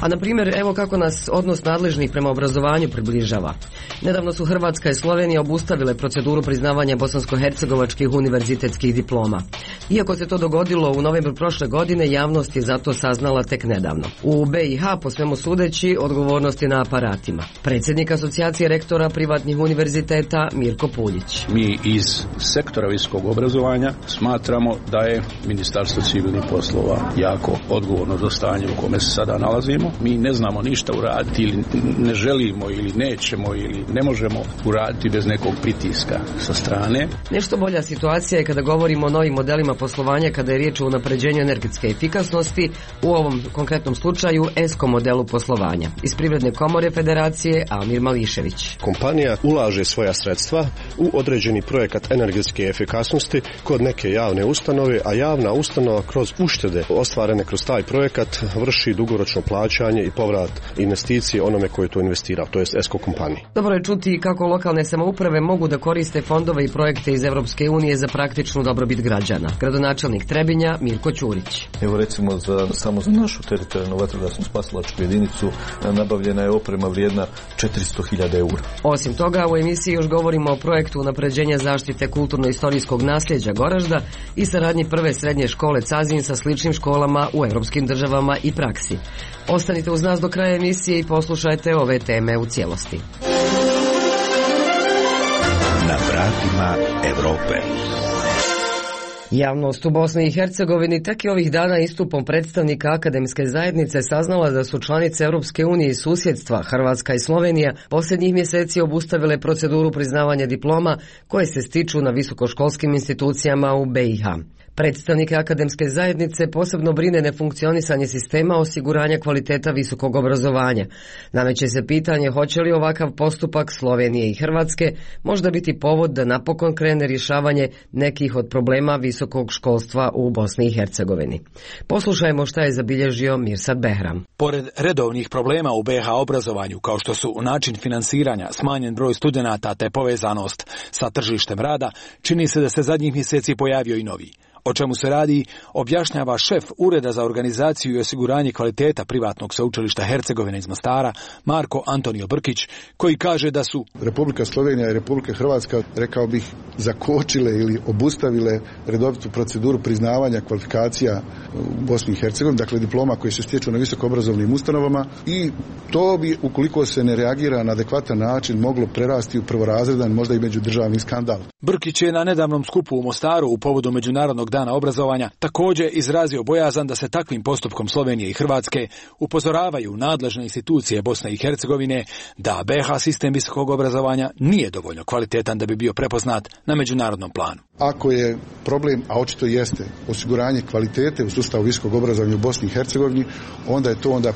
A na primjer, evo kako nas odnos nadležnih prema obrazovanju približava. Nedavno su Hrvatska i Slovenija obustavile proceduru priznavanja bosansko-hercegovačkih univerzitetskih diploma. Iako se to dogodilo u novembru prošle godine, javnost je zato saznala tek nedavno. U B i H, po svemu sudeći, odgovornost je na aparatima. Predsjednik Asocijacije rektora privatnih univerziteta Mirko Puljić. Mi iz sektora visokog obrazovanja smatramo da je Ministarstvo civilnih poslova jako odgovorno za stanje u kome se sada nalazimo. Mi ne znamo ništa uraditi ili ne želimo ili nećemo ili ne možemo uraditi bez nekog pritiska sa strane. Nešto bolja situacija je kada govorimo o novim modelima poslovanja kada je riječ o unapređenju energetske efikasnosti, u ovom konkretnom slučaju E S C O modelu poslovanja. Iz Privredne komore Federacije Amir Mališević. Kompanija ulaže svoja sredstva u određeni projekat energetske efikasnosti kod neke javne ustanove, a javna ustanova kroz uštede ostvarene kroz taj projekat vrši dugoročno plaćanje i povrat investicije onome koji je to investirao, to jest E S C O kompaniji. Dobro je čuti kako lokalne samouprave mogu da koriste fondove i projekte iz Evropske unije za praktičnu dobrobit građana. Gradonačelnik Trebinja Mirko Ćurić. Evo recimo za, samo za našu teritorijalnu vatrogasnu spasilačku jedinicu nabavljena je oprema vrijedna četiristo hiljada eura. Osim toga, u emisiji još govorimo o projektu unapređenja zaštite kulturno-istorijskog nasljeđa Goražda i saradnji prve srednje škole Cazin sa sličnim školama u evropskim državama i praksi. Ostanite uz nas do kraja emisije i poslušajte ove teme u cijelosti. Na vratima Evrope. Javnost u Bosni i Hercegovini tek je ovih dana istupom predstavnika akademske zajednice saznala da su članice Europske unije i susjedstva, Hrvatska i Slovenija, posljednjih mjeseci obustavile proceduru priznavanja diploma koje se stiču na visokoškolskim institucijama u B i H. Predstavnike akademske zajednice posebno brine nefunkcionisanje sistema osiguranja kvaliteta visokog obrazovanja. Nameće se pitanje hoće li ovakav postupak Slovenije i Hrvatske možda biti povod da napokon krene rješavanje nekih od problema visokog školstva u Bosni i Hercegovini. Poslušajmo šta je zabilježio Mirsad Behram. Pored redovnih problema u B H obrazovanju, kao što su način finansiranja, smanjen broj studenata te povezanost sa tržištem rada, čini se da se zadnjih mjeseci pojavio i novi. O čemu se radi, objašnjava šef Ureda za organizaciju i osiguranje kvaliteta privatnog sveučilišta Hercegovine iz Mostara, Marko Antonio Brkić, koji kaže da su Republika Slovenija i Republika Hrvatska, rekao bih, zakočile ili obustavile redovitu proceduru priznavanja kvalifikacija u Bosni i Hercegovini, dakle diploma koje se stječu na visokoobrazovnim ustanovama, i to bi, ukoliko se ne reagira na adekvatan način, moglo prerasti u prvorazredan, možda i međudržavni skandal. Brkić je na nedavnom skupu u Mostaru u povodu Međunarodnog dana obrazovanja također izrazio bojazan da se takvim postupkom Slovenije i Hrvatske upozoravaju nadležne institucije Bosne i Hercegovine da B H sistem visokog obrazovanja nije dovoljno kvalitetan da bi bio prepoznat na međunarodnom planu. Ako je problem, a očito jeste, osiguranje kvalitete u sustavu visokog obrazovanja u Bosni i Hercegovini, onda je to onda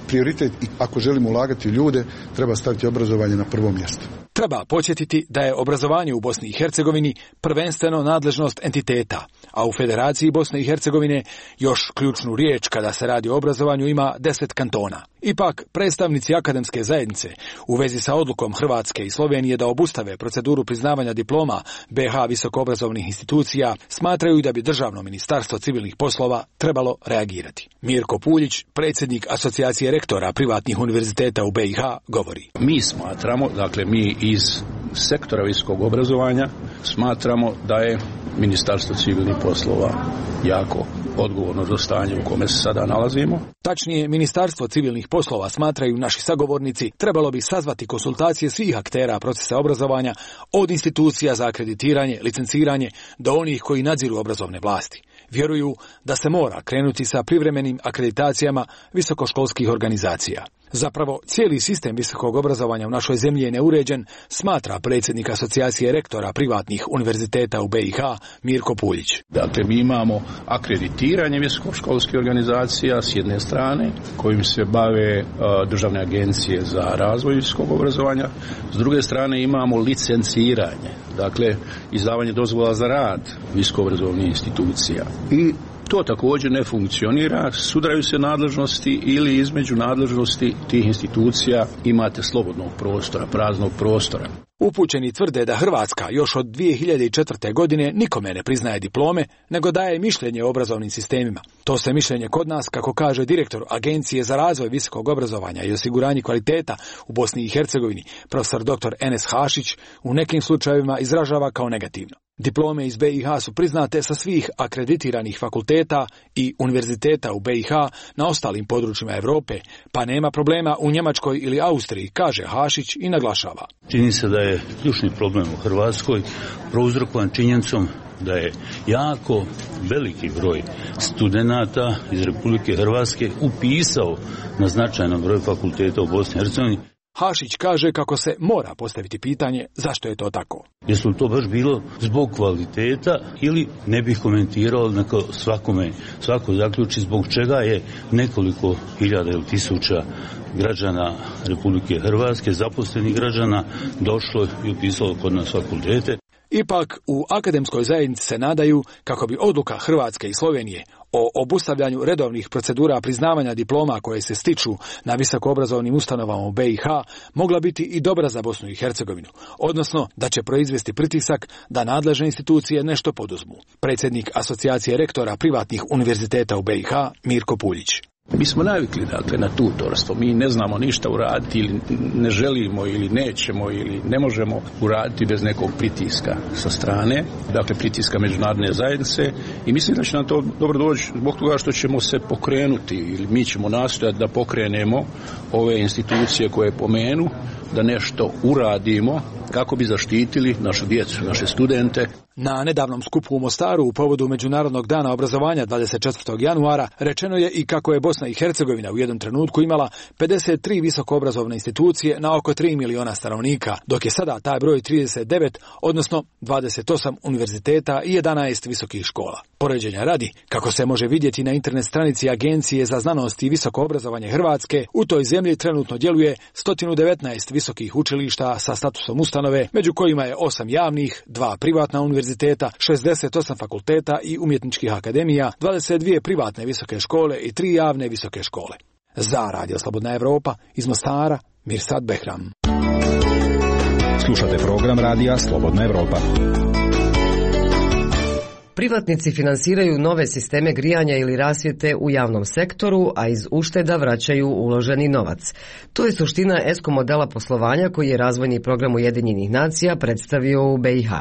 prioritet i ako želimo ulagati u ljude, treba staviti obrazovanje na prvo mjesto. Treba podsjetiti da je obrazovanje u Bosni i Hercegovini prvenstveno nadležnost entiteta, a u Federaciji Bosne i Hercegovine još ključnu riječ kada se radi o obrazovanju ima deset kantona. Ipak, predstavnici akademske zajednice u vezi sa odlukom Hrvatske i Slovenije da obustave proceduru priznavanja diploma B iH visokoobrazovnih institucija smatraju da bi Državno ministarstvo civilnih poslova trebalo reagirati. Mirko Puljić, predsjednik Asocijacije rektora privatnih univerziteta u B iH, govori. Mi smatramo, dakle mi iz sektora visokog obrazovanja smatramo da je Ministarstvo civilnih poslova jako odgovorno za stanje u kome se sada nalazimo. Tačnije, Ministarstvo civilnih poslova, smatraju naši sagovornici, trebalo bi sazvati konsultacije svih aktera procesa obrazovanja, od institucija za akreditiranje, licenciranje, do onih koji nadziru obrazovne vlasti. Vjeruju da se mora krenuti sa privremenim akreditacijama visokoškolskih organizacija. Zapravo, cijeli sistem visokog obrazovanja u našoj zemlji je neuređen, smatra predsjednik Asocijacije rektora privatnih univerziteta u B iH, Mirko Puljić. Dakle, mi imamo akreditiranje visokoškolskih organizacija s jedne strane, kojim se bave uh, državne agencije za razvoj visokog obrazovanja, s druge strane imamo licenciranje, dakle, izdavanje dozvola za rad visokoobrazovnih institucija. I to također ne funkcionira, sudaraju se nadležnosti ili između nadležnosti tih institucija imate slobodnog prostora, praznog prostora. Upućeni tvrde da Hrvatska još od dvije hiljade četvrte. godine nikome ne priznaje diplome, nego daje mišljenje o obrazovnim sistemima. To se mišljenje kod nas, kako kaže direktor Agencije za razvoj visokog obrazovanja i osiguranje kvaliteta u Bosni i Hercegovini, profesor doktor Enes Hašić, u nekim slučajevima izražava kao negativno. Diplome iz B iH su priznate sa svih akreditiranih fakulteta i univerziteta u B iH na ostalim područjima Europe, pa nema problema u Njemačkoj ili Austriji, kaže Hašić i naglašava. Čini se da je ključni problem u Hrvatskoj prouzrokovan činjenicom da je jako veliki broj studenata iz Republike Hrvatske upisao na značajan broj fakulteta u Bosni i Hercegovini. Hašić kaže kako se mora postaviti pitanje zašto je to tako. Jesu li to baš bilo zbog kvaliteta ili ne bih komentirao, neko svakome, svako zaključi zbog čega je nekoliko hiljada ili tisuća građana Republike Hrvatske, zaposlenih građana, došlo i upisalo kod nas fakultete. Ipak, u akademskoj zajednici se nadaju kako bi odluka Hrvatske i Slovenije o obustavljanju redovnih procedura priznavanja diploma koje se stiču na visokoobrazovnim ustanovama u B iH mogla biti i dobra za Bosnu i Hercegovinu, odnosno da će proizvesti pritisak da nadležne institucije nešto poduzmu. Predsjednik Asocijacije rektora privatnih univerziteta u B iH, Mirko Puljić. Mi smo navikli, dakle, na tutorstvo. Mi ne znamo ništa uraditi ili ne želimo ili nećemo ili ne možemo uraditi bez nekog pritiska sa strane, dakle pritiska međunarodne zajednice, i mislim da će nam to dobro doći zbog toga što ćemo se pokrenuti ili mi ćemo nastojati da pokrenemo ove institucije koje pomenu, da nešto uradimo kako bi zaštitili našu djecu, naše studente. Na nedavnom skupu u Mostaru u povodu Međunarodnog dana obrazovanja dvadeset četvrtog januara rečeno je i kako je Bosna i Hercegovina u jednom trenutku imala pedeset tri visokoobrazovne institucije na oko tri miliona stanovnika, dok je sada taj broj trideset devet, odnosno dvadeset osam univerziteta i jedanaest visokih škola. Poređenja radi, kako se može vidjeti na internet stranici Agencije za znanost i visoko obrazovanje Hrvatske, u toj zemlji trenutno djeluje sto devetnaest visokih učilišta sa statusom ustanove, među kojima je osam javnih, dva privatna univerziteta, šezdeset osam fakulteta i umjetničkih akademija, dvadeset dvije privatne visoke škole i tri javne visoke škole. Za Radio Slobodna Evropa, iz Mostara, Mirsad Behram. Slušate program Radija Slobodna Evropa. Privatnici finansiraju nove sisteme grijanja ili rasvjete u javnom sektoru, a iz ušteda vraćaju uloženi novac. To je suština ESCO modela poslovanja koji je razvojni program Ujedinjenih nacija predstavio u B iH.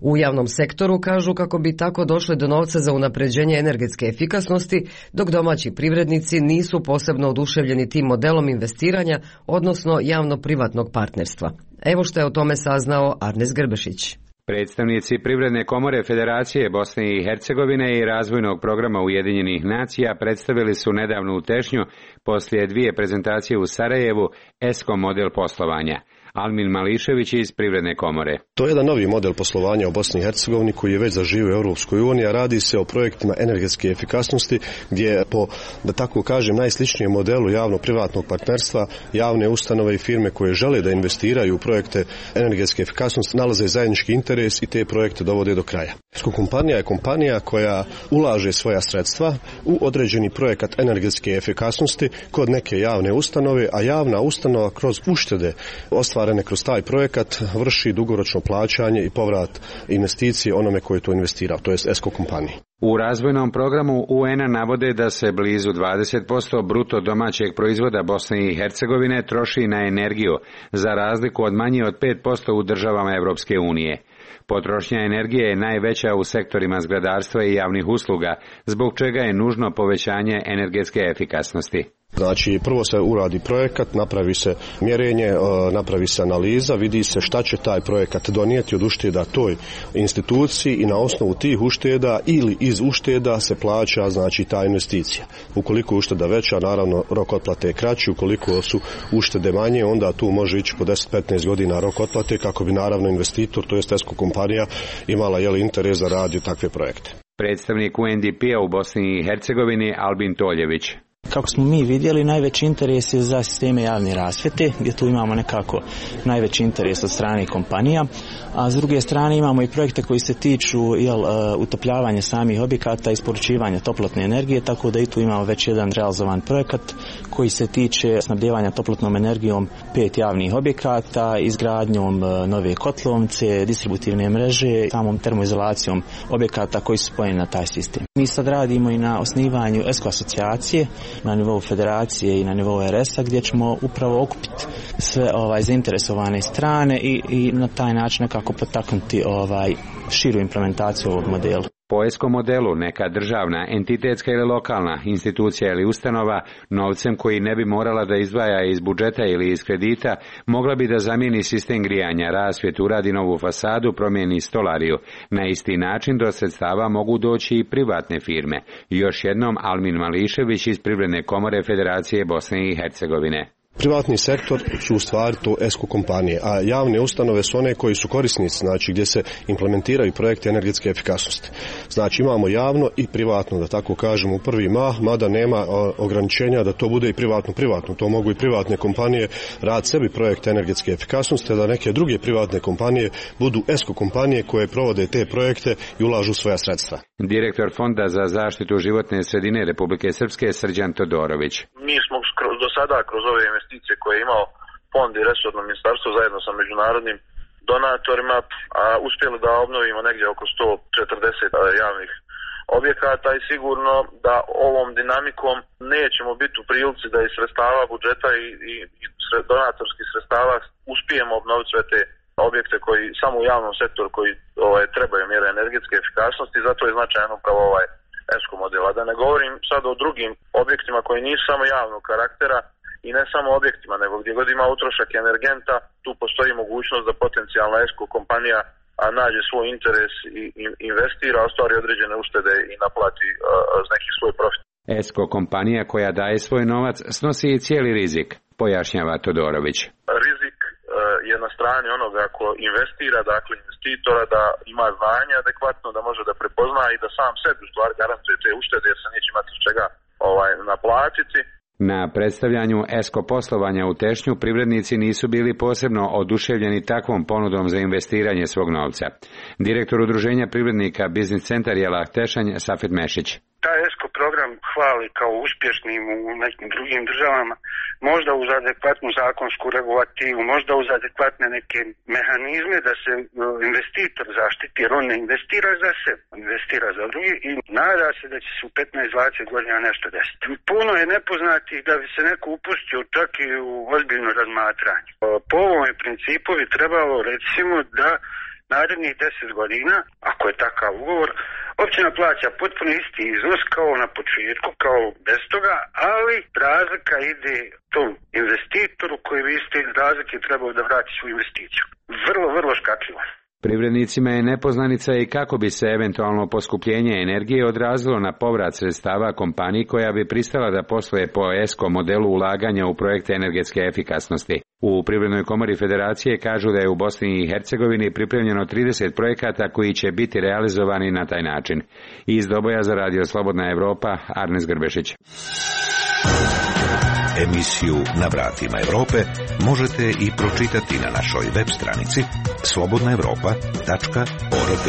U javnom sektoru kažu kako bi tako došli do novca za unapređenje energetske efikasnosti, dok domaći privrednici nisu posebno oduševljeni tim modelom investiranja, odnosno javno-privatnog partnerstva. Evo što je o tome saznao Arnes Grbešić. Predstavnici Privredne komore Federacije Bosne i Hercegovine i razvojnog programa Ujedinjenih nacija predstavili su nedavnu tešnju poslije dvije prezentacije u Sarajevu ESCO model poslovanja. Almin Mališević iz Privredne komore. To je jedan novi model poslovanja u Bosni i Hercegovini koji je već zaživio u Europskoj uniji, a radi se o projektima energetske efikasnosti gdje je po, da tako kažem, najsličnijem modelu javno-privatnog partnerstva javne ustanove i firme koje žele da investiraju u projekte energetske efikasnosti nalaze zajednički interes i te projekte dovode do kraja. Esko kompanija je kompanija koja ulaže svoja sredstva u određeni projekat energetske efikasnosti kod neke javne ustanove, a javna ustanova kroz uštede ostvarene kroz taj projekat vrši dugoročno plaćanje i povrat investicije onome koji je to investirao, to jest Esko kompaniji. U razvojnom programu U N-a navode da se blizu dvadeset posto bruto domaćeg proizvoda Bosne i Hercegovine troši na energiju, za razliku od manje od pet posto u državama Evropske unije. Potrošnja energije je najveća u sektorima zgradarstva i javnih usluga, zbog čega je nužno povećanje energetske efikasnosti. Znači, prvo se uradi projekat, napravi se mjerenje, napravi se analiza, vidi se šta će taj projekat donijeti od ušteda toj instituciji i na osnovu tih ušteda ili iz ušteda se plaća, znači, ta investicija. Ukoliko je ušteda veća, naravno rok otplate je kraći, ukoliko su uštede manje, onda tu može ići po deset do petnaest godina rok otplate kako bi naravno investitor, to jest Esko kompanija, imala jeli interes da radi takve projekte. Predstavnik U N D P-a u Bosni i Hercegovini Albin Toljević. Kako smo mi vidjeli, najveći interes je za sisteme javne rasvjete, gdje tu imamo nekako najveći interes od strane kompanija, a s druge strane imamo i projekte koji se tiču jel, utopljavanja samih objekata i isporučivanja toplotne energije, tako da i tu imamo već jedan realizovan projekat koji se tiče snabdijevanja toplotnom energijom pet javnih objekata, izgradnjom nove kotlovnice, distributivne mreže, samom termoizolacijom objekata koji su spojeni na taj sistem. Mi sad radimo i na osnivanju Esko asocijacije, na nivou federacije i na nivou R S-a, gdje ćemo upravo okupiti sve ovaj zainteresovane strane i, i na taj način nekako potaknuti ovaj širu implementaciju ovog modela. Po Esko modelu neka državna, entitetska ili lokalna institucija ili ustanova novcem koji ne bi morala da izdvaja iz budžeta ili iz kredita mogla bi da zamijeni sistem grijanja, rasvjetu, uradi novu fasadu, promijeni stolariju. Na isti način do sredstava mogu doći i privatne firme. Još jednom Almin Mališević iz Privredne komore Federacije Bosne i Hercegovine. Privatni sektor su u stvari to Esko kompanije, a javne ustanove su one koji su korisnici, znači gdje se implementiraju projekte energetske efikasnosti. Znači imamo javno i privatno, da tako kažemo, u prvi mah, mada nema ograničenja da to bude i privatno-privatno. To mogu i privatne kompanije rad sebi projekte energetske efikasnosti, da neke druge privatne kompanije budu Esko kompanije koje provode te projekte i ulažu svoja sredstva. Direktor Fonda za zaštitu životne sredine Republike Srpske Srđan Todorović. Mi smo do sada kroz ove investicije koje je imao fond i resorno ministarstvo zajedno sa međunarodnim donatorima a, uspjeli da obnovimo negdje oko sto četrdeset javnih objekata i sigurno da ovom dinamikom nećemo biti u prilici da iz sredstava budžeta i, i, i donatorskih sredstava uspijemo obnoviti sve te objekte koji samo u javnom sektoru koji ovaj, trebaju mjere energetske efikasnosti, zato je značajan upravo ovaj Esko modela. Da ne govorim sad o drugim objektima koji nisu samo javnog karaktera i ne samo objektima, nego gdje god ima utrošak energenta, tu postoji mogućnost da potencijalna Esko kompanija a nađe svoj interes i investira, ostvari određene uštede i naplati uh, neki svoj profit. Esko kompanija koja daje svoj novac snosi i cijeli rizik, pojašnjava Todorović. Rizik uh, je na strani onoga ko investira, dakle investitora, da ima znanje adekvatno, da može da prepozna i da sam sebi u stvari garantuje te uštede jer se neće imati od čega ovaj, naplatiti. Na predstavljanju Esko poslovanja u Tešnju privrednici nisu bili posebno oduševljeni takvom ponudom za investiranje svog novca. Direktor udruženja privrednika Biznis centar Jelah Tešanj Safet Mešić. Taj Esko program hvali kao uspješnim u nekim drugim državama, možda uz adekvatnu zakonsku regulativu, možda uz adekvatne neke mehanizme da se investitor zaštiti, jer on ne investira za sebe, investira za drugi i nada se da će se u petnaest do dvadeset godina nešto desiti. Puno je nepoznatih da bi se neko upustio čak i u ozbiljno razmatranje. Po ovom principu bi trebalo recimo da narednih deset godina, ako je takav ugovor, općina plaća potpuno isti iznos kao na početku, kao bez toga, ali razlika ide tom investitoru koji bi iste razlike trebao da vrati svoju investiciju. Vrlo, vrlo škakljivo. Privrednicima je nepoznanica i kako bi se eventualno poskupljenje energije odrazilo na povrat sredstava kompaniji koja bi pristala da posluje po Esko modelu ulaganja u projekte energetske efikasnosti. U Privrednoj komori Federacije kažu da je u Bosni i Hercegovini pripremljeno trideset projekata koji će biti realizovani na taj način. Iz Doboja za Radio Slobodna Evropa, Arnes Grbešić. Emisiju Na vratima Evrope možete i pročitati na našoj web stranici slobodna evropa tačka org.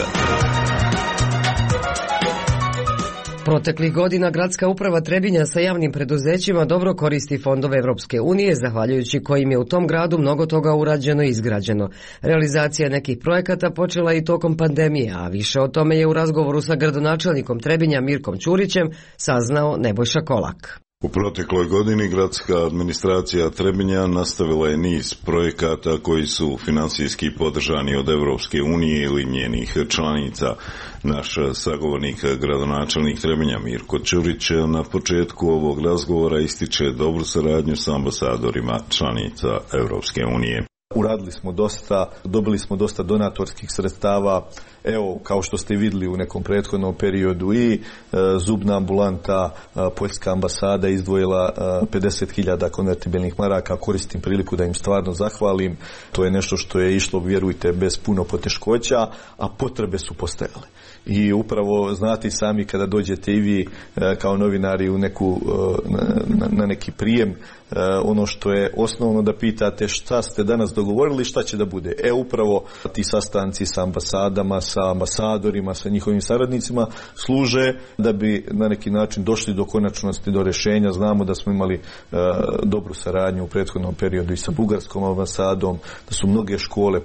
Proteklih godina gradska uprava Trebinja sa javnim preduzećima dobro koristi fondove Evropske unije, zahvaljujući kojim je u tom gradu mnogo toga urađeno i izgrađeno. Realizacija nekih projekata počela i tokom pandemije, a više o tome je u razgovoru sa gradonačelnikom Trebinja Mirkom Ćurićem saznao Nebojša Kolak. U protekloj godini gradska administracija Trebinja nastavila je niz projekata koji su finansijski podržani od Evropske unije ili njenih članica. Naš sagovornik, gradonačelnik Trebinja Mirko Ćurić, na početku ovog razgovora ističe dobru saradnju sa ambasadorima članica Evropske unije. Uradili smo dosta, dobili smo dosta donatorskih sredstava. Evo, kao što ste vidjeli u nekom prethodnom periodu i e, zubna ambulanta, e, Poljska ambasada izdvojila e, pedeset hiljada konvertibilnih maraka. Koristim priliku da im stvarno zahvalim. To je nešto što je išlo, vjerujte, bez puno poteškoća, a potrebe su postojale. I upravo znate sami kada dođete i vi e, kao novinari u neku, e, na, na neki prijem, e, ono što je osnovno da pitate šta ste danas dogovorili, šta će da bude. E upravo ti sastanci sa ambasadama, sa ambasadorima, sa njihovim saradnicima služe da bi na neki način došli do konačnosti, do rješenja. Znamo da smo imali e, dobru saradnju u prethodnom periodu i sa bugarskom ambasadom, da su mnoge škole e,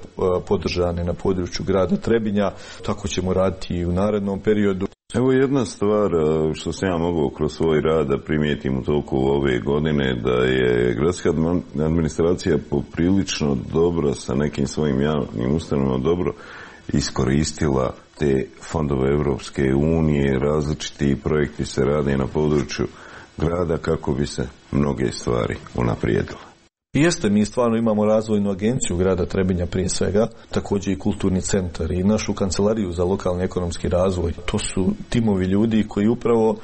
podržane na području grada Trebinja, tako ćemo raditi i u narednom periodu. Evo jedna stvar što sam ja mogao kroz svoj rad da primijetim u toku ove godine, da je gradska administracija poprilično dobro sa nekim svojim javnim ustanovama dobro iskoristila te fondove Evropske unije, različiti projekti se rade na području grada kako bi se mnoge stvari unaprijedile. Jeste, mi stvarno imamo razvojnu agenciju grada Trebinja prije svega, također i kulturni centar i našu kancelariju za lokalni ekonomski razvoj. To su timovi ljudi koji upravo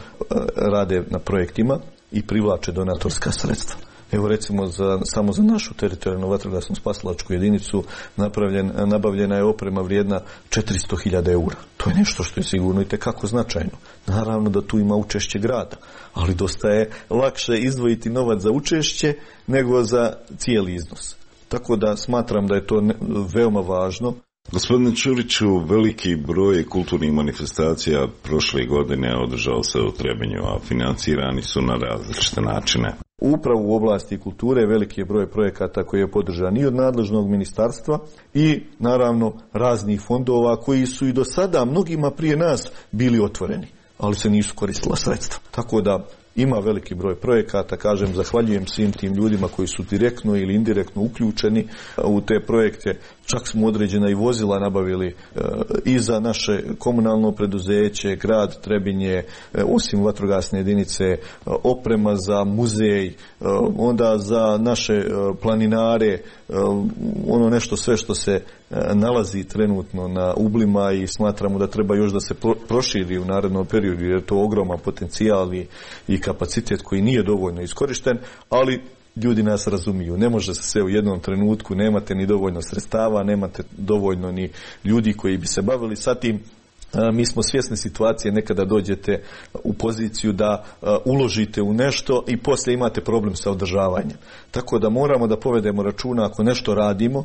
rade na projektima i privlače donatorska sredstva. Evo recimo za, samo za našu teritorijalnu vatrogasnu spasilačku jedinicu napravljen, nabavljena je oprema vrijedna četiristo hiljada eura. To je nešto što je sigurno i tekako značajno. Naravno da tu ima učešće grada, ali dosta je lakše izdvojiti novac za učešće nego za cijeli iznos. Tako da smatram da je to ne, veoma važno. Gospodine Ćuriću, veliki broj kulturnih manifestacija prošle godine održao se u Trebinju, a financirani su na različite načine. Upravo u oblasti kulture veliki je broj projekata koji je podržan i od nadležnog ministarstva i naravno raznih fondova koji su i do sada mnogima prije nas bili otvoreni, ali se nisu koristila sredstva. Tako da ima veliki broj projekata, kažem, zahvaljujem svim tim ljudima koji su direktno ili indirektno uključeni u te projekte. Čak smo određena i vozila nabavili e, i za naše komunalno preduzeće, grad Trebinje, e, osim vatrogasne jedinice, e, oprema za muzej, e, onda za naše e, planinare, e, ono nešto sve što se e, nalazi trenutno na ublima i smatramo da treba još da se pro, proširi u narednom periodu, jer je to ogroman potencijal i, i kapacitet koji nije dovoljno iskorišten, ali ljudi nas razumiju. Ne može se sve u jednom trenutku, nemate ni dovoljno sredstava, nemate dovoljno ni ljudi koji bi se bavili sa tim. Mi smo svjesni situacije, nekada dođete u poziciju da uložite u nešto i poslije imate problem sa održavanjem. Tako da moramo da povedemo računa ako nešto radimo,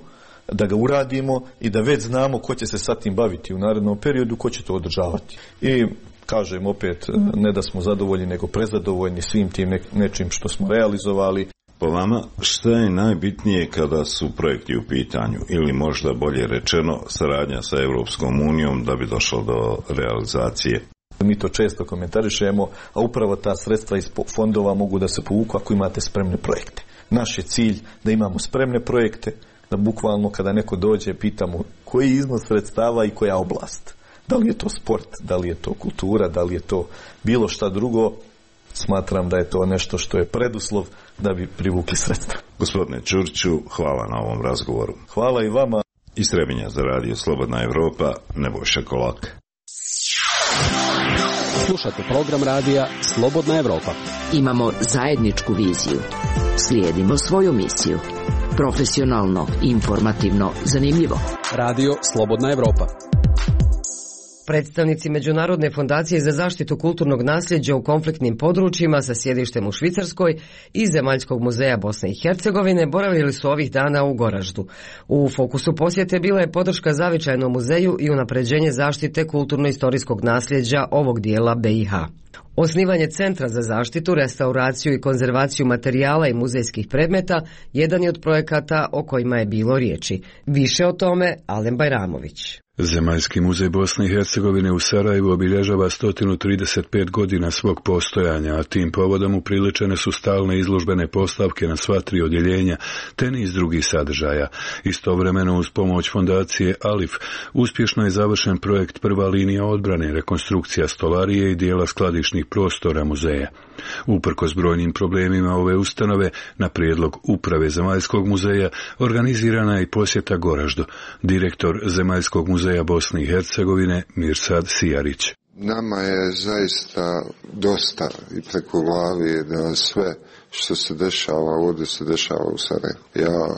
da ga uradimo i da već znamo ko će se sa tim baviti u narednom periodu, ko će to održavati. I kažem opet, ne da smo zadovoljni, nego prezadovoljni svim tim nečim što smo realizovali. Po vama, šta je najbitnije kada su projekti u pitanju ili možda bolje rečeno saradnja sa Evropskom unijom da bi došlo do realizacije? Mi to često komentarišemo, a upravo ta sredstva iz fondova mogu da se povuku ako imate spremne projekte. Naš je cilj da imamo spremne projekte, da bukvalno kada neko dođe pitamo koji je iznos sredstava i koja oblast. Da li je to sport, da li je to kultura, da li je to bilo šta drugo. Smatram da je to nešto što je preduslov da bi privukli sredstva. Gospodine Ćuriću, hvala na ovom razgovoru. Hvala i vama. Iz Trebinja za radio Slobodna Evropa, Nebojša Kolak. Slušate program radija Slobodna Evropa. Imamo zajedničku viziju. Slijedimo svoju misiju. Profesionalno, informativno, zanimljivo. Radio Slobodna Evropa. Predstavnici Međunarodne fondacije za zaštitu kulturnog nasljeđa u konfliktnim područjima sa sjedištem u Švicarskoj i Zemaljskog muzeja Bosne i Hercegovine boravili su ovih dana u Goraždu. U fokusu posjete bila je podrška Zavičajnom muzeju i unapređenje zaštite kulturno-istorijskog nasljeđa ovog dijela B i H. Osnivanje Centra za zaštitu, restauraciju i konzervaciju materijala i muzejskih predmeta jedan je od projekata o kojima je bilo riječi. Više o tome Alen Bajramović. Zemaljski muzej Bosne i Hercegovine u Sarajevu obilježava sto trideset pet godina svog postojanja, a tim povodom upriličene su stalne izložbene postavke na sva tri odjeljenja, te niz drugih sadržaja. Istovremeno uz pomoć fondacije Alif uspješno je završen projekt Prva linija odbrane, rekonstrukcija stolarije i dijela skladišnih prostora muzeja. Uprkos brojnim problemima ove ustanove, na prijedlog Uprave Zemaljskog muzeja organizirana je i posjeta Goraždu. Direktor Zemaljskog muzeja Bosne i Hercegovine Mirsad Sijarić. Nama je zaista dosta i preko glavi da sve što se dešava ovdje se dešava u Sarajevu. Ja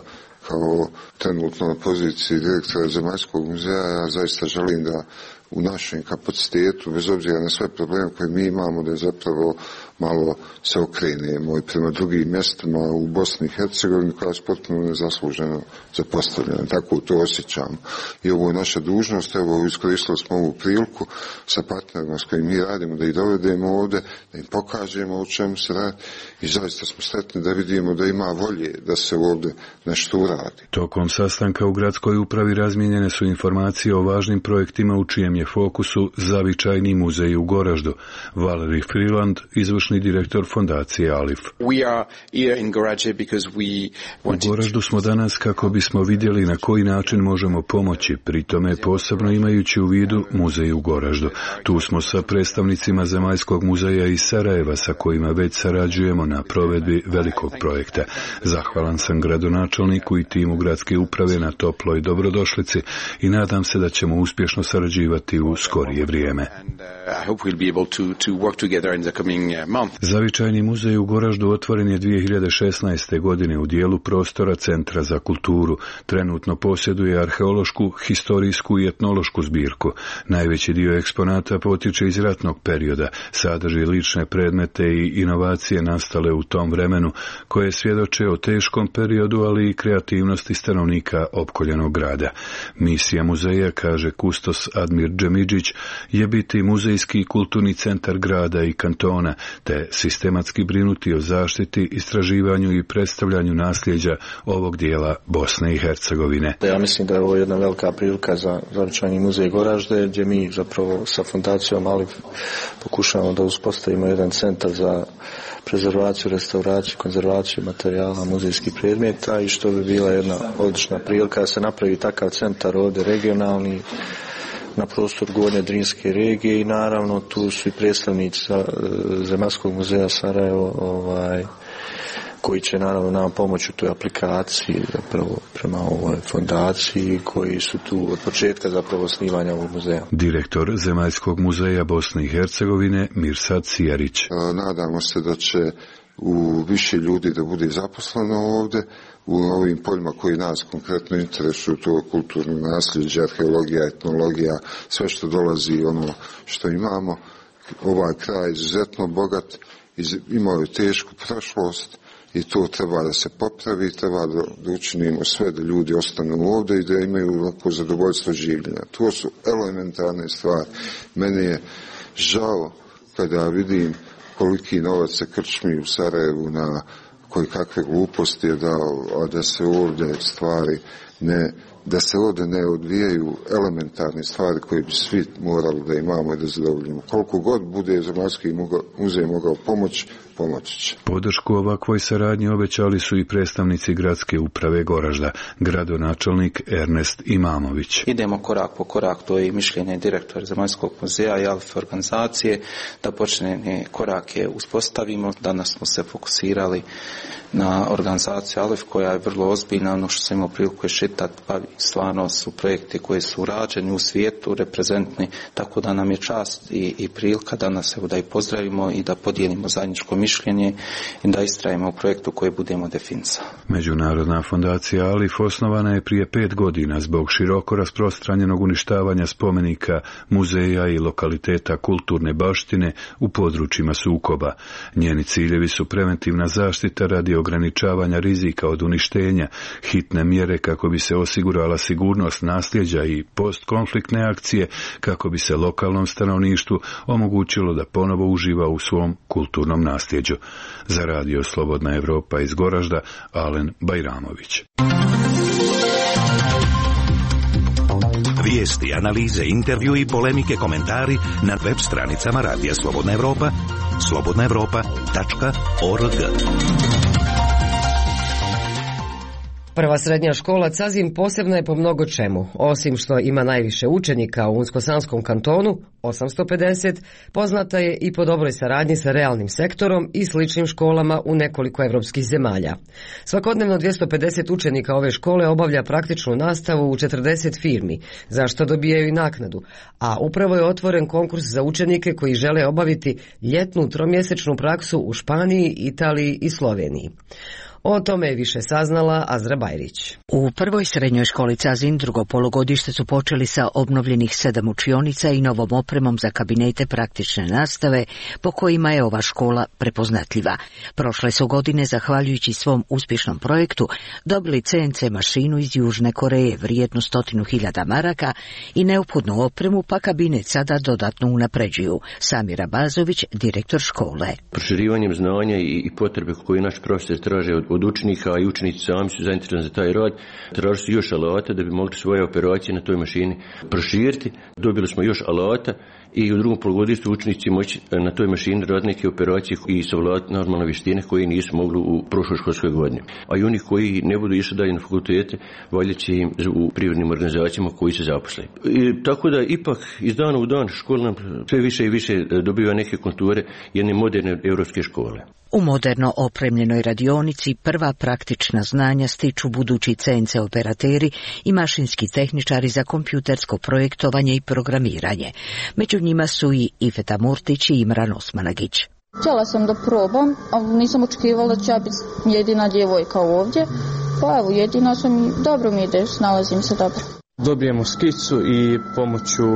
kao trenutno na poziciji direktora Zemaljskog muzeja ja zaista želim da u našem kapacitetu, bez obzira na sve probleme koje mi imamo, da zapravo malo se okrenemo i prema drugim mjestima u Bosni i Hercegovini koja je potpuno nezasluženo zapostavljena. Tako to osjećam. I ovo je naša dužnost, evo iskoristili smo ovu priliku sa partnerima s kojim mi radimo da ih dovedemo ovdje, da im pokažemo o čemu se radi i zaista smo sretni da vidimo da ima volje da se ovdje nešto uradi. Tokom sastanka u gradskoj upravi razmijenjene su informacije o važnim projektima u čijem je fokusu Zavičajni muzej u Goraždu. Valeri Freeland, izvršni direktor fondacije Alif. U Goraždu smo danas kako bismo vidjeli na koji način možemo pomoći, pri tome posebno imajući u vidu muzej u Goraždu. Tu smo sa predstavnicima Zemaljskog muzeja iz Sarajeva sa kojima već sarađujemo na provedbi velikog projekta. Zahvalan sam gradonačelniku i timu gradske uprave na toploj dobrodošlici i nadam se da ćemo uspješno sarađivati u skorije vrijeme. Zavičajni muzej u Goraždu otvoren je dvije hiljade šesnaeste. godine u dijelu prostora Centra za kulturu. Trenutno posjeduje arheološku, historijsku i etnološku zbirku. Najveći dio eksponata potiče iz ratnog perioda, sadrži lične predmete i inovacije nastale u tom vremenu, koje svjedoče o teškom periodu, ali i kreativnosti stanovnika opkoljenog grada. Misija muzeja, kaže kustos Admir Džemidžić, je biti muzejski i kulturni centar grada i kantona, te sistematski brinuti o zaštiti, istraživanju i predstavljanju nasljeđa ovog dijela Bosne i Hercegovine. Ja mislim da je ovo jedna velika prilika za Zavičajni muzej Goražde, gdje mi zapravo sa fondacijom Alif pokušavamo da uspostavimo jedan centar za prezervaciju, restauraciju, konzervaciju materijala, muzejskih predmeta i što bi bila jedna odlična prilika da se napravi takav centar ovdje regionalni na prostor Gornje Drinske regije i naravno tu su i predstavnici Zemaljskog muzeja Sarajevo ovaj, koji će naravno nam pomoći u toj aplikaciji zapravo prema ovoj fondaciji koji su tu od početka zapravo osnivanja ovog muzeja. Direktor Zemaljskog muzeja Bosne i Hercegovine Mirsad Sijarić. Nadamo se da će u više ljudi da bude zaposleno ovdje u ovim poljima koji nas konkretno interesuju, to kulturno nasljeđe, arheologija, etnologija, sve što dolazi ono što imamo. Ovaj kraj je izuzetno bogat, imao je tešku prošlost i to treba da se popravi, treba da, da učinimo sve da ljudi ostanu ovdje i da imaju lako zadovoljstvo življenja. To su elementarne stvari. Meni je žao kada vidim koliki novac se krčmi u Sarajevu na koji kakve gluposti je dao, a da se ovdje stvari ne, da se ovdje ne odvijaju elementarne stvari koje bi svi morali da imamo i da zadovoljimo. Koliko god bude Zemaljski muzej mogao pomoći, pomoći će. Podršku ovakvoj saradnji obećali su i predstavnici gradske uprave Goražda, gradonačelnik Ernest Imamović. Idemo korak po korak, to je i mišljenje direktora Zemaljskog muzeja i Alif organizacije, da počne korake uspostavimo. Danas smo se fokusirali na organizaciju Alif koja je vrlo ozbiljna, ono što sam imao priliku je šetati, pa stvarno su projekti koji su urađeni u svijetu, reprezentni, tako da nam je čast i, i prilika danas evo da ih pozdravimo i da podijelimo zajedničko mišljenje i da istrajemo u projektu koji budemo definisali. Međunarodna fondacija Alif osnovana je prije pet godina zbog široko rasprostranjenog uništavanja spomenika, muzeja i lokaliteta kulturne baštine u područjima sukoba. Njeni ciljevi su preventivna zaštita radi ograničavanja rizika od uništenja, hitne mjere kako bi se osigurala sigurnost nasljeđa i postkonfliktne akcije, kako bi se lokalnom stanovništvu omogućilo da ponovo uživa u svom kulturnom nasljeđu. Za radio Slobodna Evropa iz Goražda, Alen Bajramović. Vijesti, analize, intervju i polemike, komentari na web stranicama Radija Slobodna Evropa, slobodna evropa tačka org. Prva srednja škola Cazin posebna je po mnogo čemu. Osim što ima najviše učenika u Unsko-Sanskom kantonu, osamsto pedeset, poznata je i po dobroj saradnji sa realnim sektorom i sličnim školama u nekoliko evropskih zemalja. Svakodnevno dvjesto pedeset učenika ove škole obavlja praktičnu nastavu u četrdeset firmi, za što dobijaju i naknadu, a upravo je otvoren konkurs za učenike koji žele obaviti ljetnu tromjesečnu praksu u Španiji, Italiji i Sloveniji. O tome je više saznala Azra Bajrić. U prvoj srednjoj školi Cazin drugo polugodište su počeli sa obnovljenih sedam učionica i novom opremom za kabinete praktične nastave, po kojima je ova škola prepoznatljiva. Prošle su godine, zahvaljujući svom uspješnom projektu, dobili C N C mašinu iz Južne Koreje vrijednu stotinu hiljada maraka i neophodnu opremu, pa kabinet sada dodatno unapređuju. Samir Abazović, direktor škole. Proširivanjem znanja i potrebe koje naš profesor traže od od učenika, a i učenici sami su zainteresovani za taj rad, traži su još alata da bi mogli svoje operacije na toj mašini proširiti. Dobili smo još alata i u drugom polugodištu učenici moći na toj mašini raditi neke operacije i savladati normalne vještine koje nisu mogli u prošloj školskoj godini. A i oni koji ne budu išli dalje na fakultete, valjda će im u privrednim organizacijama koji se zaposle. I tako da ipak iz dana u dan škola nam sve više i više dobiva neke konture jedne moderne europske škole. U moderno opremljenoj radionici prva praktična znanja stiču budući C N C operateri i mašinski tehničari za kompjutersko projektovanje i programiranje. Među njima su i Ifeta Murtić i Imran Osmanagić. Htjela sam da probam, ali nisam očekivala da će ja biti jedina djevojka ovdje. Pa evo, jedina sam i dobro mi ide, snalazim se dobro. Dobijemo skicu i pomoću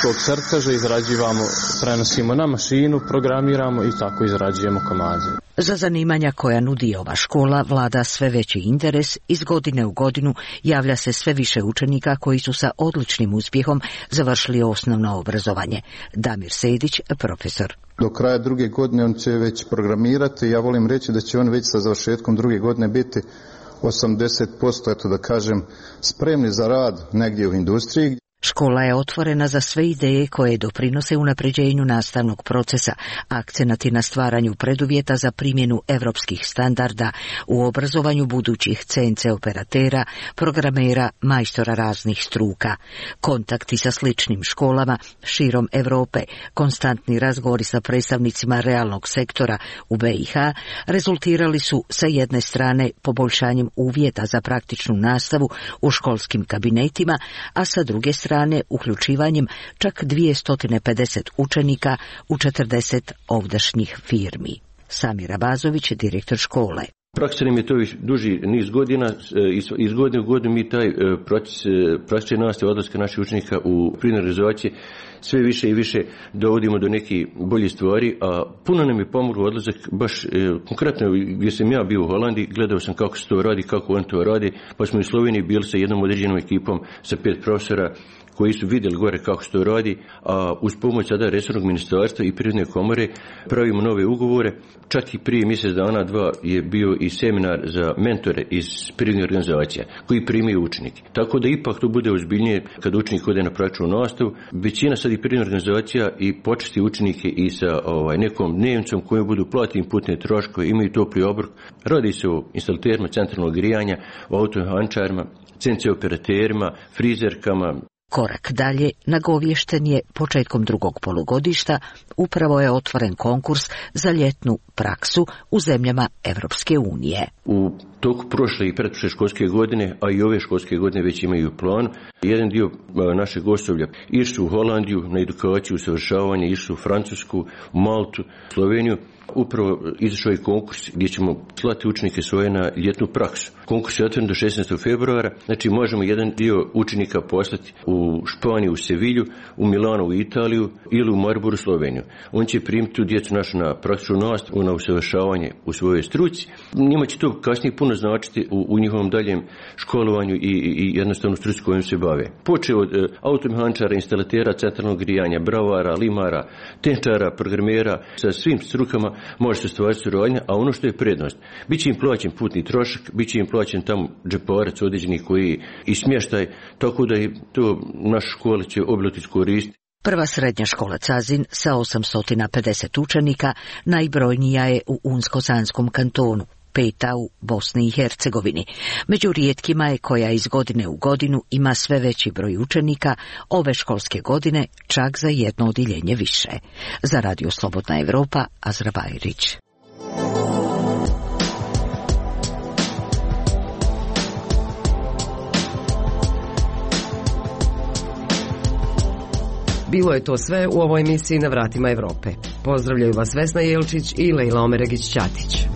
tog crteža izrađivamo, prenosimo na mašinu, programiramo i tako izrađujemo komade. Za zanimanja koja nudi ova škola vlada sve veći interes, iz godine u godinu javlja se sve više učenika koji su sa odličnim uspjehom završili osnovno obrazovanje. Damir Sedić, profesor. Do kraja druge godine on će već programirati, ja volim reći da će on već sa završetkom druge godine biti osamdeset posto, eto da kažem, spremni za rad negdje u industriji. Škola je otvorena za sve ideje koje doprinose unapređenju nastavnog procesa, akcenat je na stvaranju preduvjeta za primjenu evropskih standarda u obrazovanju budućih C N C operatera, programera, majstora raznih struka. Kontakti sa sličnim školama širom Europe, konstantni razgovori sa predstavnicima realnog sektora u B i H rezultirali su sa jedne strane poboljšanjem uvjeta za praktičnu nastavu u školskim kabinetima, a sa druge strane strane uključivanjem čak dvjesto pedeset učenika u četrdeset ovdašnjih firmi. Samir Abazović, direktor škole. Praksa nam je to duži niz godina, iz godine u godinu mi taj proces praktične nastave odlaska naših učenika u prirodne realizacije sve više i više dovodimo do nekih boljih stvari, a puno nam je pomoglo odlazak baš konkretno gdje sam ja bio u Holandiji, gledao sam kako se to radi, kako on to radi, pa smo u Sloveniji bili sa jednom određenom ekipom sa pet profesora koji su vidjeli gore kako se to radi, a uz pomoć sada resornog ministarstva i Privredne komore pravimo nove ugovore. Čak i prije mjesec dana, dva je bio i seminar za mentore iz privrednih organizacija koji primaju učenike. Tako da ipak to bude ozbiljnije kad učenik ode na praktičnu nastavu. Većina sad i privrednih organizacija i počesti učenike i sa ovaj, nekom dnevnicom koju budu platiti putne troškove, imaju topli obrok. Radi se o instalaterima centralnog grijanja, o autohančarima, C N C operaterima, frizerkama. Korak dalje nagovješten je početkom drugog polugodišta, upravo je otvoren konkurs za ljetnu praksu u zemljama Evropske unije. U toku prošle i pretprošle školske godine, a i ove školske godine već imaju plan, jedan dio našeg osoblja išli u Holandiju na edukaciju, usavršavanje, išli u Francusku, Maltu, Sloveniju, upravo izašao je konkurs gdje ćemo slati učenike svoje na ljetnu praksu. Konkurs je otvoren do šesnaestog februara, znači možemo jedan dio učenika poslati u Španiju, u Sevilju, u Milano, u Italiju ili u Maribor, u Sloveniju. On će primiti tu djecu našu na praktičnu nastavu, na usavršavanje u svojoj struci. Njima će to kasnije puno značiti u, u njihovom daljem školovanju i, i, i jednostavno struci kojom se bave. Počeo od e, automehančara, instalatera centralnog grijanja, bravara, limara, tenčara, programera, sa svim strukama može se stvariti suradnja, a ono što je prednost, bit će im plaćen putni trošak, bit će im plaćen tamo džeparac određeni koji i smještaj, tako da je to naša škola će obilati koristiti. Prva srednja škola Cazin sa osamsto pedeset učenika najbrojnija je u Unsko-Sanskom kantonu, peta u Bosni i Hercegovini. Među rijetkima je koja iz godine u godinu ima sve veći broj učenika, ove školske godine čak za jedno odjeljenje više. Za Radio Slobodna Evropa, Azra Bajrić. Bilo je to sve u ovoj emisiji Na vratima Evrope. Pozdravljaju vas Vesna Jelčić i Lejla Omeregić-Ćatić.